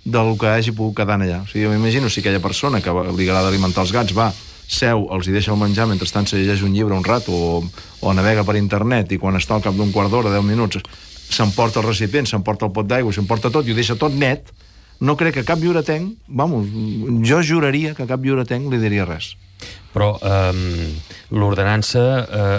del que hagi pogut quedar allà. O sigui, jo m'imagino si aquella persona que li agrada alimentar els gats va, seu, els hi deixa el menjar, mentrestant se llegeix un llibre un rato o, o navega per internet i quan està al cap d'un quart d'hora, deu minuts, s'emporta el recipient, s'emporta el pot d'aigua, s'emporta tot i ho deixa tot net. No crec que cap lliuretenc, vamos, jo juraria que cap lliuretenc li diria res. Però eh, l'ordenança eh,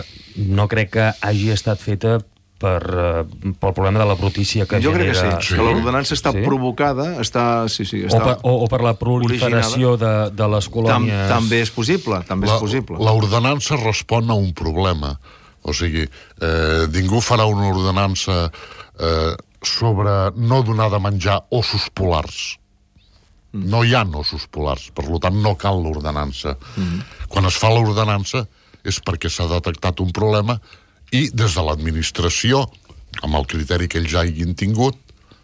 no crec que hagi estat feta per, uh, pel problema de la brutícia que jo genera... Jo crec que sí, sí. que l'ordenança està sí? provocada, està... Sí, sí, està o, per, o, o per la proliferació de, de les colònies... Tam, també és possible, també la, és possible. L'ordenança respon a un problema. O sigui, eh, ningú farà una ordenança eh, sobre no donar de menjar ossos polars. No hi ha ossos polars, per tant no cal l'ordenança. Mm. Quan es fa l'ordenança és perquè s'ha detectat un problema i des de l'administració, amb el criteri que ells hagin tingut,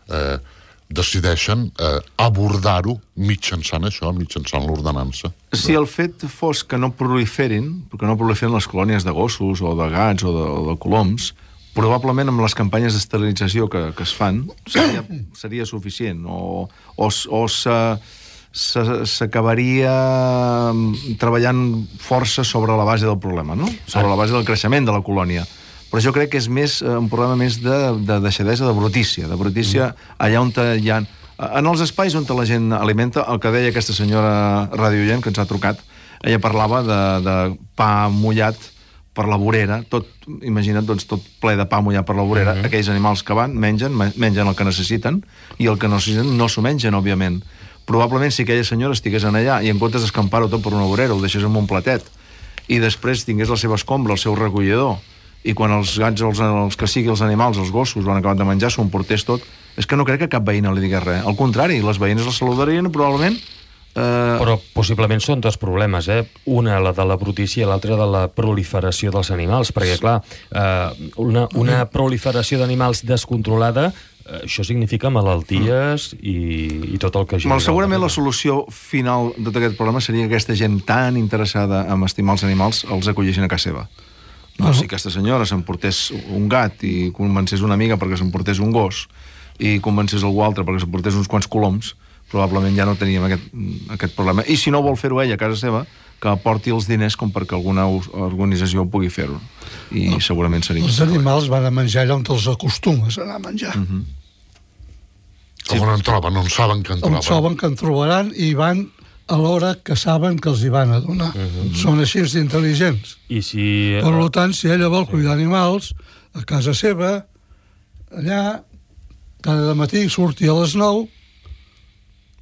eh, decideixen eh, abordar-ho mitjançant això, mitjançant l'ordenança. Si el fet fos que no proliferin, perquè no proliferin les colònies de gossos o de gats o de, o de coloms, probablement amb les campanyes d'esterilització que, que es fan seria, seria suficient o, o, o s'acabaria treballant força sobre la base del problema, no? Sobre la base del creixement de la colònia. Però jo crec que és més un problema més de, de deixadesa, de brutícia, de brutícia allà on hi ha... En els espais on la gent alimenta, el que deia aquesta senyora radioient que ens ha trucat, ella parlava de, de pa mullat per la vorera, tot, imagina't, doncs, tot ple de pa mullat per la vorera, uh-huh. aquells animals que van, mengen, mengen el que necessiten, i el que no necessiten no s'ho mengen, òbviament. Probablement, si aquella senyora estigués en allà, i en comptes d'escampar-ho tot per una vorera, ho deixés en un platet, i després tingués la seva escombra, el seu recollidor, i quan els gats, els, els que sigui els animals, els gossos, ho han acabat de menjar, s'ho emportés tot, és que no crec que cap veïna li digués res. Al contrari, les veïnes la saludarien, probablement. Uh... Però possiblement són dos problemes, eh? Una, la de la brutícia, i l'altra de la proliferació dels animals, perquè, clar, uh, una, una proliferació d'animals descontrolada, uh, això significa malalties i, i tot el que genera. Mal, segurament la solució final de tot aquest problema seria que aquesta gent tan interessada en estimar els animals els acollissin a casa seva. No, si aquesta senyora s'emportés un gat i convencés una amiga perquè s'emportés un gos i convencés algú altre perquè s'emportés uns quants coloms, probablement ja no teníem aquest, aquest problema. I si no vol fer-ho ella a casa seva, que aporti els diners com perquè alguna organització pugui fer-ho. I no, segurament seria... Els animals van a menjar allà on els acostumes a anar a menjar. Uh-huh. Sí. On en troben, on saben que en troben. On saben que en trobaran i van a l'hora que saben que els hi van a donar. Uh-huh. Són així d'intel·ligents. I si... Per tant, si ella vol cuidar animals, a casa seva, allà, cada matí surti a les nou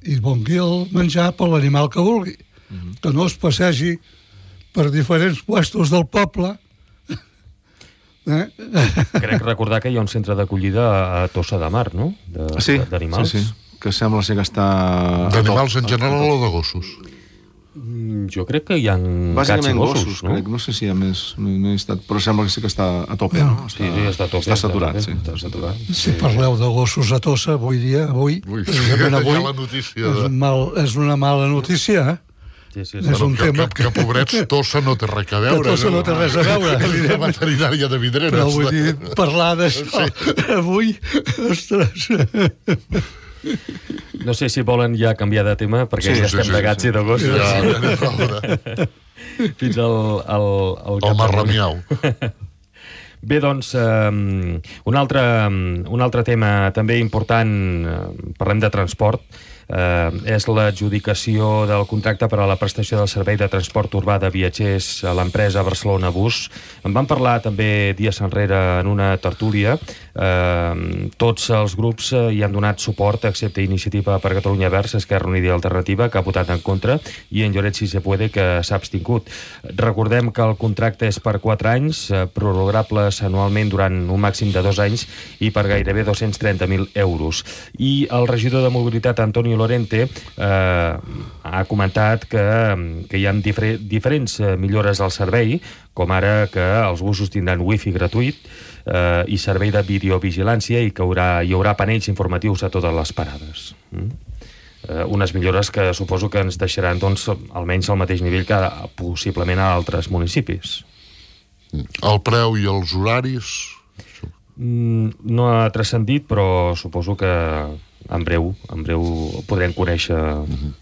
i vongui el menjar per l'animal que vulgui. Uh-huh. Que no es passegi per diferents puestos del poble. eh? Crec recordar que hi ha un centre d'acollida a Tossa de Mar, no? De, sí, d'animals. sí, sí. Que sembla ser que està... D'animals en general o de gossos? Jo crec que hi ha gats i gossos, gossos no? Crec, no sé si hi ha més, no, no he estat, però sembla que sí que està a tope, no? no? Està, sí, sí, està a tope. Està saturat, sí. Està saturat. Si parleu de gossos a Tossa avui dia, avui, Ui, precisament avui, la notícia és, de... mal, és una mala notícia, eh? Sí, sí, sí. És un que, tema... que, que, pobrets, Tossa no té res a veure. Que Tossa no té res a veure. La veterinària de Vidreres. Però vull dir, parlar d'això sí. avui, ostres... No sé si volen ja canviar de tema, perquè sí, ja estem sí, de gats sí. i de gossos. Ja, ja fins al... al, al el marramiau. Bé, doncs, um, un, altre, un altre tema també important, uh, parlem de transport, uh, és l'adjudicació del contracte per a la prestació del servei de transport urbà de viatgers a l'empresa Barcelona Bus. En vam parlar també dies enrere en una tertúlia. Uh, tots els grups uh, hi han donat suport, excepte Iniciativa per Catalunya Verds, Esquerra Unida i Alternativa, que ha votat en contra, i en Lloret Si Se Puede, que s'ha abstingut. Recordem que el contracte és per quatre anys, uh, prorrogables anualment durant un màxim de dos anys i per gairebé dos-cents trenta mil euros. I el regidor de Mobilitat, Antonio Lorente, eh, ha comentat que, que hi ha difer diferents millores al servei, com ara que els busos tindran wifi gratuït eh, i servei de videovigilància i que haurà, hi haurà panells informatius a totes les parades. Mm? Eh, unes millores que suposo que ens deixaran doncs, almenys al mateix nivell que possiblement a altres municipis. El preu i els horaris? Mm, no ha transcendit, però suposo que en breu, en breu podrem conèixer... Mm-hmm.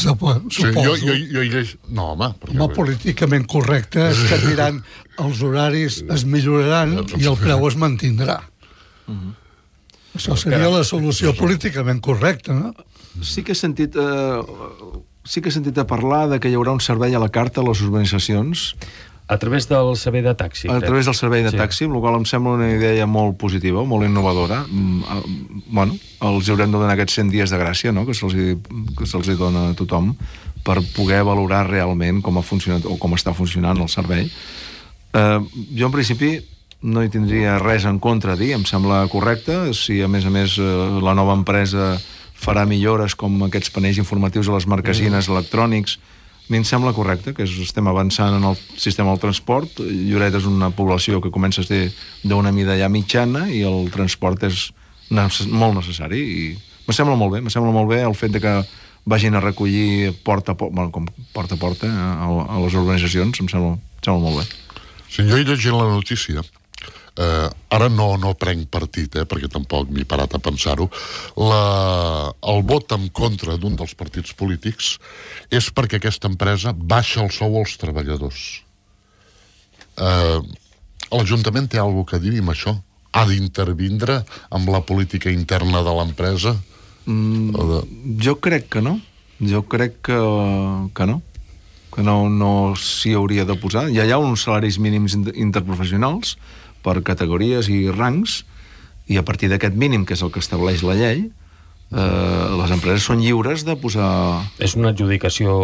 Suposo. Sí, jo, jo, jo hi lleig... No, home... Perquè... No políticament correcte és que diran els horaris es milloraran i el preu es mantindrà. Mm-hmm. Això seria la solució políticament correcta, no? Sí que he sentit... Eh, sí que he sentit a parlar de que hi haurà un servei a la carta a les urbanitzacions A través del servei de taxi. A través del servei de Sí. taxi, amb la qual em sembla una idea molt positiva, molt innovadora. Mm, eh, Bueno, els haurem de donar aquests cent dies de gràcia, no?, que se'ls hi, que se'ls hi dona a tothom, per poder valorar realment com ha funcionat o com està funcionant el servei. Eh, jo, en principi, no hi tindria res en contra a dir, em sembla correcte. Si, a més a més, eh, la nova empresa farà millores com aquests panells informatius a les marquesines mm. electrònics, a mi em sembla correcte, que estem avançant en el sistema del transport. Lloret és una població que comença a ser d'una mida ja mitjana i el transport és necess- molt necessari i me sembla molt bé, me sembla molt bé el fet de que vagin a recollir porta a porta, bueno, com porta a porta a, a les urbanitzacions, em sembla, em sembla molt bé. Si jo he llegit la notícia, eh, ara no, no prenc partit, eh, perquè tampoc m'he parat a pensar-ho, la, el vot en contra d'un dels partits polítics és perquè aquesta empresa baixa el sou als treballadors. Eh, L'Ajuntament té alguna cosa a dir amb això? Ha d'intervindre amb la política interna de l'empresa? Mm, de... Jo crec que no. Jo crec que, que no. Que no, no s'hi hauria de posar. Ja hi ha uns salaris mínims interprofessionals per categories i rangs, i a partir d'aquest mínim, que és el que estableix la llei, eh, les empreses són lliures de posar... És una adjudicació...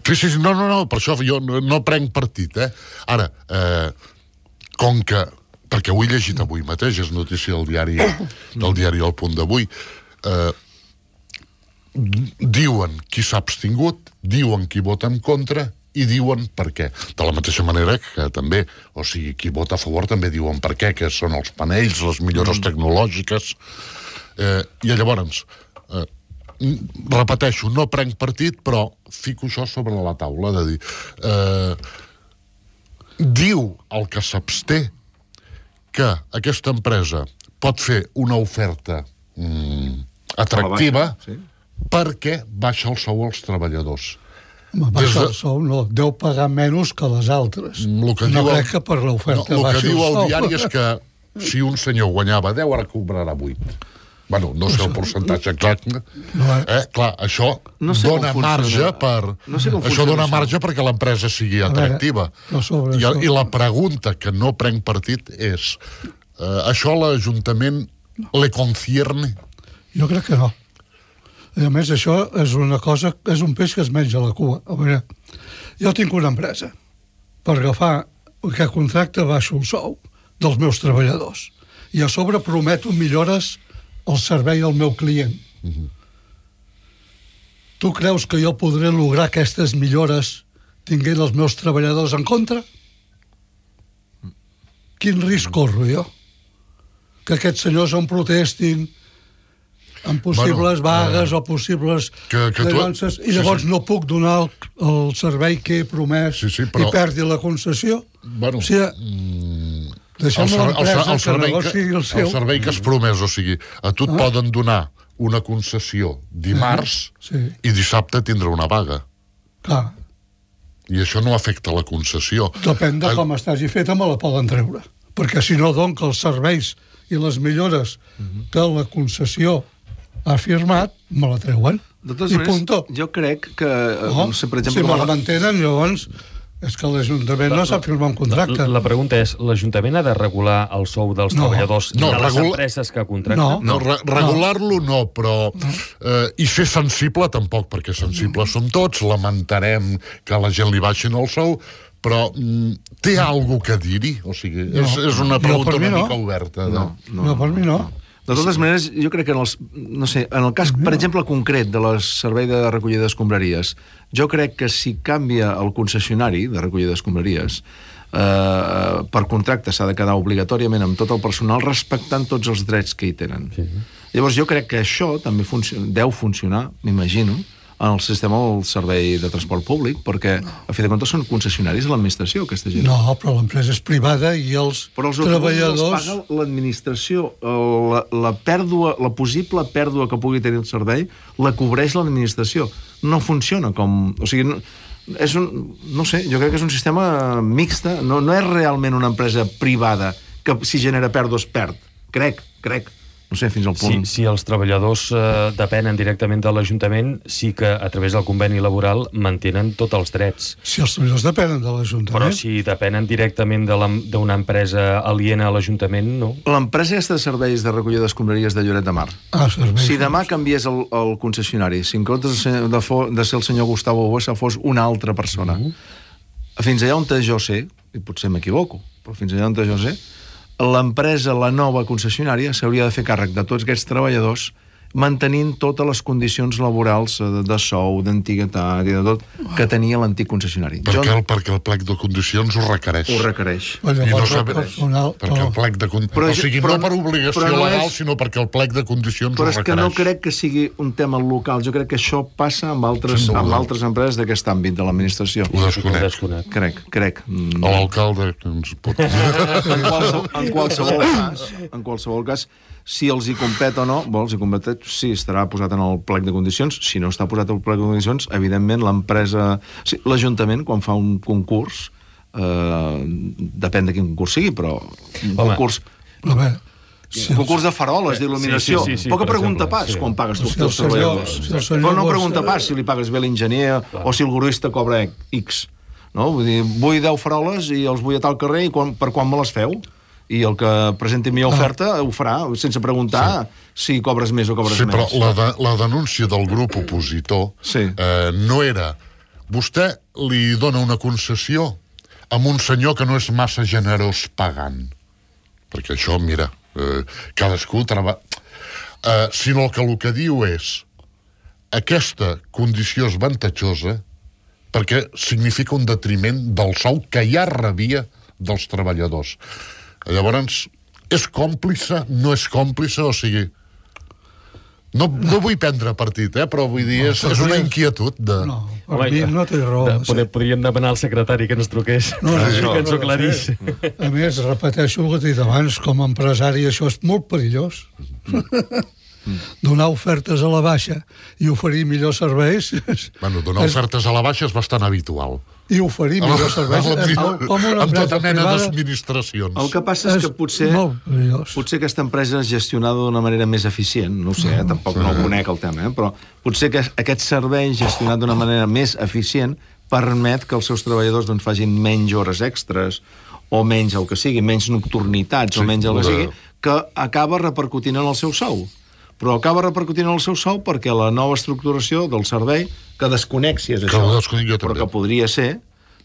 Sí, sí, sí, no, no, no, per això jo no, no prenc partit, eh? Ara, eh, com que... Perquè ho he llegit avui mateix, és notícia del diari, del diari El Punt d'avui, eh, diuen qui s'ha abstingut, diuen qui vota en contra i diuen per què. De la mateixa manera que també, o sigui, qui vota a favor també diuen per què, que són els panells, les millores tecnològiques. Eh, I llavors, eh, repeteixo, no prenc partit, però fico això sobre la taula, de dir... Eh, diu el que s'absté que aquesta empresa pot fer una oferta mm, atractiva baixa, sí. perquè baixa el sou als treballadors. Home, baixa el sou, no, deu pagar menys que les altres. Lo que no diu crec el, que per l'oferta no, baixi el que diu el el sou. diari és que si un senyor guanyava deu, ara cobrarà vuit. Bueno, no sé el percentatge exacte. No, eh, clar, això No sé dona com marge funciona. per... No sé com això funciona dona això. marge perquè l'empresa sigui A veure, atractiva. però sobre I, això- I la pregunta que no prenc partit és eh, això a l'Ajuntament le concierne? Jo crec que no. A més, això és una cosa, és un peix que es menja la cua. A veure, jo tinc una empresa. Per agafar aquest contracte baixo el sou dels meus treballadors. I a sobre prometo millores al servei al meu client. Uh-huh. Tu creus que jo podré lograr aquestes millores tinguent els meus treballadors en contra? Quin risc corro jo? Que aquests senyors em protestin en possibles Bueno, vagues eh, o possibles que- que tu- denúncies i sí, llavors sí. no puc donar el, el servei que he promès Sí, sí, però- i perdi la concessió? Bueno, o sigui, mm, deixem el, ser- el, ser- l'empresa el, que servei negoci que, el seu. el servei que has promès, o sigui, a tu et Ah. poden donar una concessió dimarts Sí. i dissabte tindrà una vaga. Clar, I això no afecta la concessió. depèn de Eh, com estagi feta, me la poden treure. Perquè si no, doncs, els serveis i les millores que la concessió ha firmat, me la treuen. De totes I maneres, punto. jo crec que... eh, No? No sé, per exemple... si me com la a- mantenen, llavors és que l'Ajuntament no sap firmar un contracte. La, la pregunta és, l'Ajuntament ha de regular el sou dels No. treballadors No, de les regula- empreses que contracten? No. No, re regular-lo no, però... Eh, I ser sensible tampoc, perquè sensibles som tots, lamentarem que a la gent li baixin el sou, però mm, té alguna cosa a dir-hi? O sigui, No. és, és una Jo, pregunta per mi una no. mica oberta. De... No, No, no, per mi no. De totes maneres, jo crec que en els, no sé, en el cas, per exemple, concret de la servei de recollida d'escombraries, jo crec que si canvia el concessionari de recollida d'escombraries, eh, per contracte s'ha de quedar obligatòriament amb tot el personal respectant tots els drets que hi tenen. Sí. Llavors jo crec que això també funcio deu funcionar, m'imagino, en el sistema del servei de transport públic, perquè, a fi de comptes, són concessionaris de l'administració, aquesta gent. No, però l'empresa és privada i els Però els treballadors... els paga l'administració. La, la pèrdua, la possible pèrdua que pugui tenir el servei la cobreix l'administració. No funciona com... O sigui, no, és un, no sé, jo crec que és un sistema mixta. No, no és realment una empresa privada que si genera pèrdues perd. Crec, crec. no sé, fins al punt... Si, si els treballadors eh, depenen directament de l'Ajuntament, sí que a través del conveni laboral mantenen tots els drets. Si els treballadors depenen de l'Ajuntament... Però si depenen directament de la- d'una empresa aliena a l'Ajuntament, no. L'empresa aquesta de serveis de recollida d'escombraries de Lloret de Mar, Ah, serveis. si demà canviés el, el concessionari, si en comptes de ser, de, fo, de ser el senyor Gustavo Bossa fos una altra persona, mm-hmm. fins allà on jo sé, i potser m'equivoco, però fins allà on jo sé, l'empresa, la nova concessionària, s'hauria de fer càrrec de tots aquests treballadors mantenint totes les condicions laborals de, de sou, d'antiguitat i de tot que tenia l'antic concessionari. Perquè el, perquè el plec de condicions ho requereix. Ho requereix. Però I no llavors el sabe, personal... perquè el plec de condicions... Però- O sigui, però- no per obligació però no legal, és- sinó perquè el plec de condicions Però ho és requereix. que no crec que sigui un tema local. Jo crec que això passa amb altres, Sense amb dubte. altres empreses d'aquest àmbit de l'administració. Ho desconec. Desconec. Crec, crec. Mm. O l'alcalde que ens pot... En qualsevol, en qualsevol cas, en qualsevol cas, si els hi compet o no, bo, els hi compet, sí, estarà posat en el plec de condicions. Si no està posat en el plec de condicions, evidentment l'empresa... Sí, l'Ajuntament, quan fa un concurs, eh, depèn de quin concurs sigui, però un Home. concurs... Però bé, si Un concurs de faroles, d'il·luminació. Sí, sí, sí, sí, Poca per pregunta exemple, pas sí. quan pagues tu Si els teus el senyor- treballadors. si el senyor Però no Bosch- pregunta pas si li pagues bé l'enginyer o si el gruista cobra X. No? Vull dir, vull deu faroles i els vull a tal carrer i quan, per quan me les feu? I el que presenti millor oferta ho farà, sense preguntar sí. si cobres més o cobres Sí, però menys. la, de, la denúncia del grup opositor Sí. eh, no era... Vostè li dona una concessió amb un senyor que no és massa generós pagant. Perquè això, mira, eh, cadascú treballa... Eh, sinó que el que diu és aquesta condició és avantatjosa perquè significa un detriment del sou que ja rebia dels treballadors. Llavors, és còmplice, no és còmplice, o sigui... No, no vull prendre partit, eh, però vull dir, és, és una inquietud de... no, per mi no té raó. de, poder, podríem demanar al secretari que ens truqués, No, no, no, que ens ho no, aclarís. A més, repeteixo el que he dit abans, com a empresari això és molt perillós. Donar ofertes a la baixa i oferir millors serveis... Bueno, donar és- ofertes a la baixa és bastant habitual. I oferir millors serveis és molt, com una amb empresa tota mena privada. d'administracions. El que passa és que potser... molt perillós. Potser aquesta empresa és gestionada d'una manera més eficient, no ho sé, eh? tampoc no ho conec el tema, eh? però potser que aquest servei gestionat d'una manera més eficient permet que els seus treballadors doncs, facin menys hores extres o menys el que sigui, menys nocturnitats Sí, o menys el que de- sigui, que acaba repercutint en el seu sou. Però acaba repercutint en el seu sou perquè la nova estructuració del servei, que desconec si és Que això, ho desconec jo però també. que podria ser,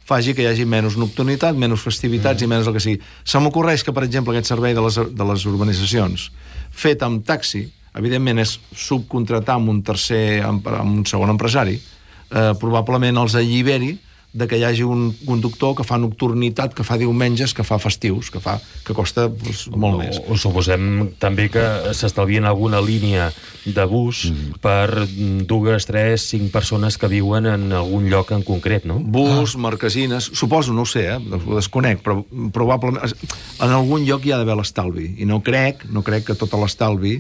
faci que hi hagi menys nocturnitat, menys festivitats mm. i menys el que sigui. Se m'ocorreix que, per exemple, aquest servei de les, de les urbanitzacions, fet amb taxi, evidentment és subcontratar amb un tercer, amb, amb un segon empresari, eh, probablement els alliberi de que hi hagi un conductor que fa nocturnitat, que fa diumenges, que fa festius, que fa que costa doncs, molt més. O, o suposem també que s'estalvien alguna línia de bus mm. per dues, tres, cinc persones que viuen en algun lloc en concret, no? Bus, ah. marquesines, suposo, no ho sé, eh? ho desconec, però probablement en algun lloc hi ha d'haver l'estalvi, i no crec, no crec que tot l'estalvi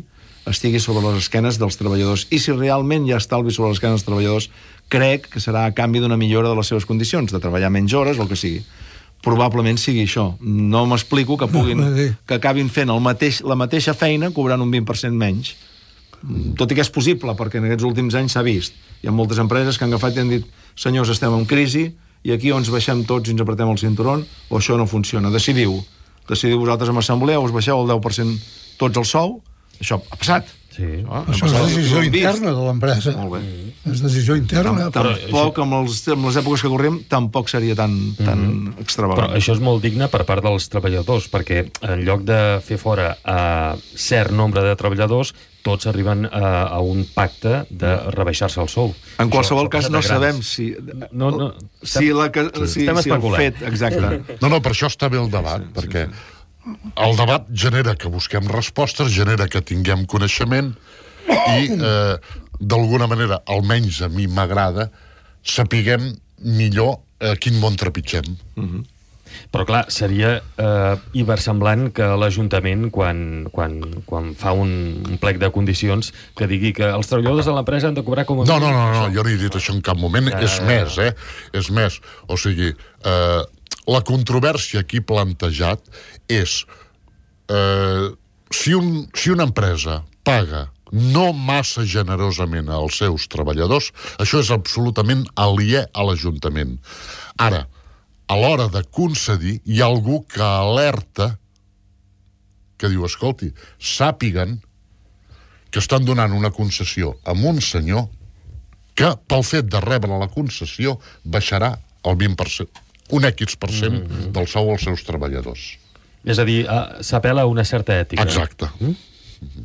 estigui sobre les esquenes dels treballadors. I si realment hi ha estalvi sobre les esquenes dels treballadors, crec que serà a canvi d'una millora de les seves condicions, de treballar menys hores o el que sigui. Probablement sigui això. No m'explico que puguin, que acabin fent el mateix, la mateixa feina cobrant un vint per cent menys. Tot i que és possible, perquè en aquests últims anys s'ha vist. Hi ha moltes empreses que han agafat i han dit senyors, estem en crisi, i aquí o ens baixem tots i ens apretem el cinturón, o això no funciona. Decidiu. Decidiu vosaltres en assemblea, us baixeu el deu per cent tots el sou. Això ha passat. Sí. Això, Això és decisió interna de l'empresa. Molt bé. És decisió interna. Tam tampoc, amb, els, amb les èpoques que correm, tampoc seria tan, tan mm -hmm. extravagant. Però això és molt digne per part dels treballadors, perquè en lloc de fer fora a cert nombre de treballadors, tots arriben a, a un pacte de rebaixar-se el sou. En qualsevol Això, cas, això no de grans. sabem si... No, no, si, la, que, sí, si, estem si el especulant. fet... Exacte. No, no, per això està bé el debat, Sí, sí, perquè sí, el debat genera que busquem respostes, genera que tinguem coneixement i, eh, d'alguna manera, almenys a mi m'agrada, sapiguem millor a quin món trepitgem. Mm-hmm. Però clar, seria eh, ibersemblant que l'Ajuntament, quan, quan, quan fa un, un plec de condicions, que digui que els treballadors de l'empresa han de cobrar com a... No, no, no, no, jo no he dit això en cap moment. Ah. És més, eh? És més. O sigui, eh, la controvèrsia aquí plantejat és... Eh, si, un, si una empresa paga no massa generosament als seus treballadors, això és absolutament aliè a l'Ajuntament. Ara, a l'hora de concedir, hi ha algú que alerta, que diu, escolti, sàpiguen que estan donant una concessió a un senyor que, pel fet de rebre la concessió, baixarà el vint per cent, un X per cent mm-hmm. del sou als seus treballadors. És a dir, s'apel·la a una certa ètica. Exacte. Mm? Mm-hmm.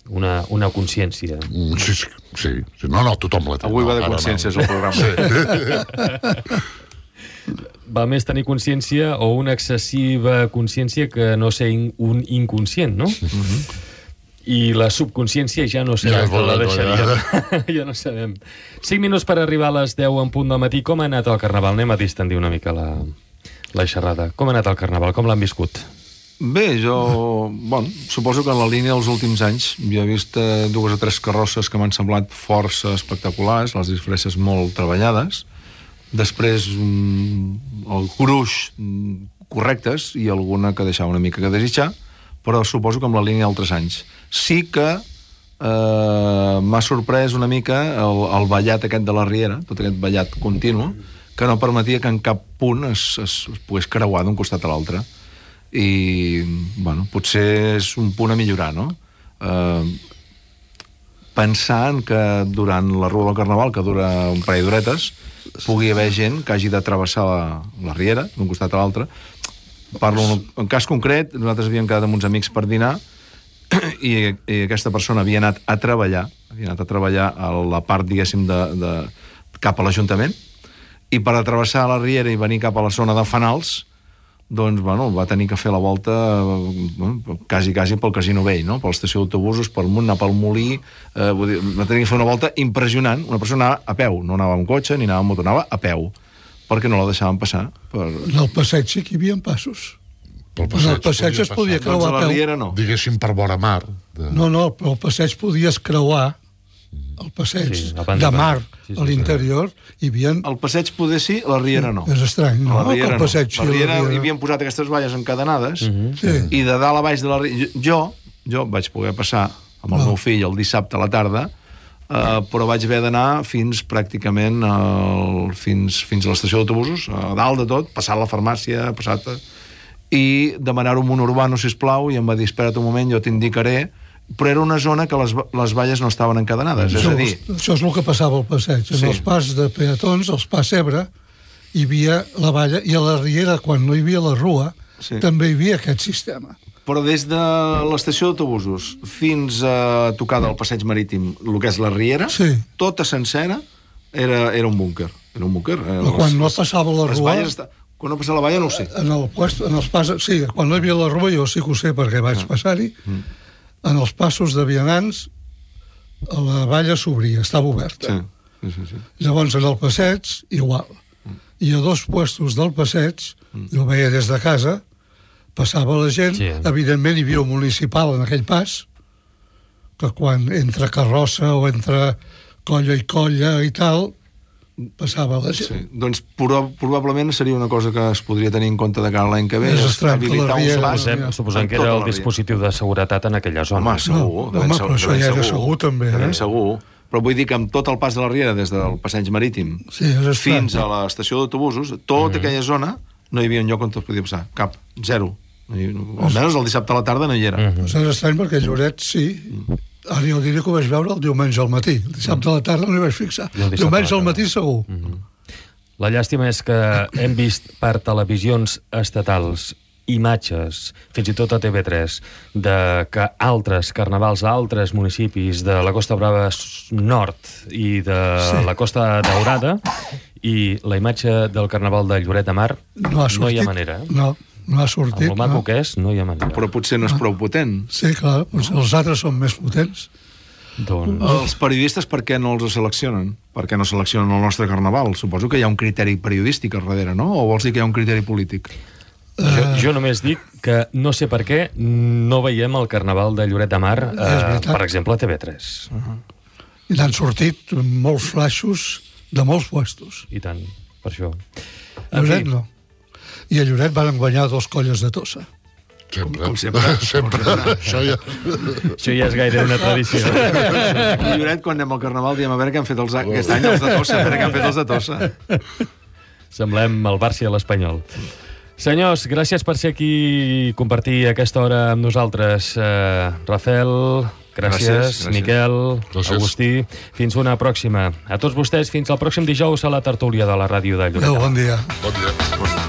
Una, una consciència. Mm, sí, sí, sí, sí. No, no, tothom la té. Avui no, va de consciències no. el programa. Sí. Va més tenir consciència o una excessiva consciència que no ser in, un inconscient, no? Mm-hmm. I la subconsciència ja no sé, ja, ja la deixaríem. Ja no sabem. Cinc minuts per arribar a les deu en punt del matí. Com ha anat el Carnaval? Anem a distendir una mica la, la xerrada. Com ha anat el Carnaval? Com l'han viscut? Bé, jo... Bon, suposo que en la línia dels últims anys jo he vist eh, dues o tres carrosses que m'han semblat força espectaculars, les disfresses molt treballades, després mm, el gruix mm, correctes i alguna que deixava una mica que desitjar, però suposo que amb la línia d'altres anys. Sí que eh, m'ha sorprès una mica el, el ballat aquest de la Riera, tot aquest ballat continu, que no permetia que en cap punt es, es, es pogués creuar d'un costat a l'altre. I, bueno, potser és un punt a millorar, no? Eh, pensant que durant la Rua del Carnaval, que dura un parell d'horetes, pugui haver gent que hagi de travessar la, la Riera d'un costat a l'altre. Parlo en, en cas concret, nosaltres havíem quedat amb uns amics per dinar i, i aquesta persona havia anat a treballar, havia anat a treballar a la part, diguéssim, de, de, cap a l'Ajuntament, i per atravessar la Riera i venir cap a la zona de Fanals, doncs, bueno, va tenir que fer la volta bueno, quasi, quasi pel Casino Vell, no? Per l'estació d'autobusos, pel munt, anar pel Molí, eh, vull dir, va tenir que fer una volta impressionant. Una persona anava a peu, no anava amb cotxe ni anava amb moto, anava a peu, perquè no la deixaven passar. Per... En el passeig sí que hi havia passos. Pel passeig, en el passeig es podia creuar doncs a a peu. la Riera no. Diguéssim per vora mar. De... No, no, però el passeig podies creuar el passeig sí, de mar sí, sí, a l'interior hi havia... El passeig poder sí, la Riera no. És estrany, no? La Riera el passeig, no. La Riera, la Riera hi havien posat aquestes valles encadenades uh-huh. sí. i de dalt a baix de la Riera... Jo, jo vaig poder passar amb el no. meu fill el dissabte a la tarda, eh, però vaig haver d'anar fins pràcticament el, fins, fins a l'estació d'autobusos, a dalt de tot, passar a la farmàcia, passat... i demanar-ho amb un urbano, sisplau, i em va dir, espera't un moment, jo t'indicaré, però era una zona que les, les valles no estaven encadenades, Això, és a dir... això és el que passava al passeig. En Sí. els pas de peatons, els pas Ebre, hi havia la valla, i a la Riera, quan no hi havia la Rua, Sí. també hi havia aquest sistema. Però des de l'estació d'autobusos fins a tocar del passeig marítim, el que és la Riera, Sí. tota sencera era, era un búnquer. Era un búnquer. Eh, Però quan no passava la les Rua... valles esta... Quan no passava la valla no ho sé. En, el puesto, en els pas... Sí, quan no hi havia la Rua, jo sí que ho sé, perquè vaig passar-hi. Mm. En els passos de vianants, la valla s'obria, estava oberta. Sí. Sí, sí, sí. Llavors, en el passeig, igual. I a dos puestos del passeig, jo veia des de casa, passava la gent, Sí. evidentment hi havia un municipal en aquell pas, que quan entra carrossa o entra colla i colla i tal, passava la gent. Sí. Doncs prob probablement seria una cosa que es podria tenir en compte de cara a l'any que ve. És estrany que la habilitar un Riera- pas Suposem, ja. suposem que en era tota el la Riera. dispositiu de seguretat en aquella zona. Home, segur. No, de ben home, segur, però això de ben ja era segur, també, de ben eh? segur. Però vull dir que amb tot el pas de la Riera, des del passeig marítim Sí, és estrany. fins a l'estació d'autobusos, tota mm. aquella zona no hi havia un lloc on es podia passar. Cap. Zero. No hi, almenys el dissabte a la tarda no hi era. Mm. Doncs és estrany perquè Lloret sí. Ara jo diria que ho vaig veure el diumenge al matí. El dissabte a la tarda no hi vaig fixar. I el dissabte Diumenge a la al tarda. matí segur. Mm. La llàstima és que hem vist per televisions estatals imatges, fins i tot a T V tres, de que altres carnavals a altres municipis de la Costa Brava Nord i de Sí. la Costa Daurada, i la imatge del carnaval de Lloret de Mar No ha sortit. no hi ha manera. Eh? No, no ha Amb sortit. el maco no. que és, no hi ha manera. Però potser no és prou potent. Sí, clar, doncs els altres són més potents. Doncs... Els periodistes per què no els seleccionen? Per què no seleccionen el nostre carnaval? Suposo que hi ha un criteri periodístic al darrere, no? O vols dir que hi ha un criteri polític? Jo, jo només dic que no sé per què no veiem el carnaval de Lloret de Mar, És eh, veritat. per exemple, a T V tres. I n'han sortit molts flaixos de molts puestos. I tant, per això. En Lloret fi, no. I a Lloret van guanyar dos colles de Tossa. Sempre. Com sempre. Sempre. Això ja... Això ja és gaire una tradició. Aquí, Lloret, quan anem al Carnaval, diem a veure què han fet els, aquest any els de Tossa, a veure què han fet els de Tossa. Semblem el Barça i l'Espanyol. Senyors, gràcies per ser aquí i compartir aquesta hora amb nosaltres. Uh, Rafael, gràcies, gràcies, gràcies. Miquel, gràcies. Agustí. Fins una pròxima. A tots vostès, fins al pròxim dijous a la tertúlia de la ràdio de Lloret. Adéu, bon dia. Bon dia.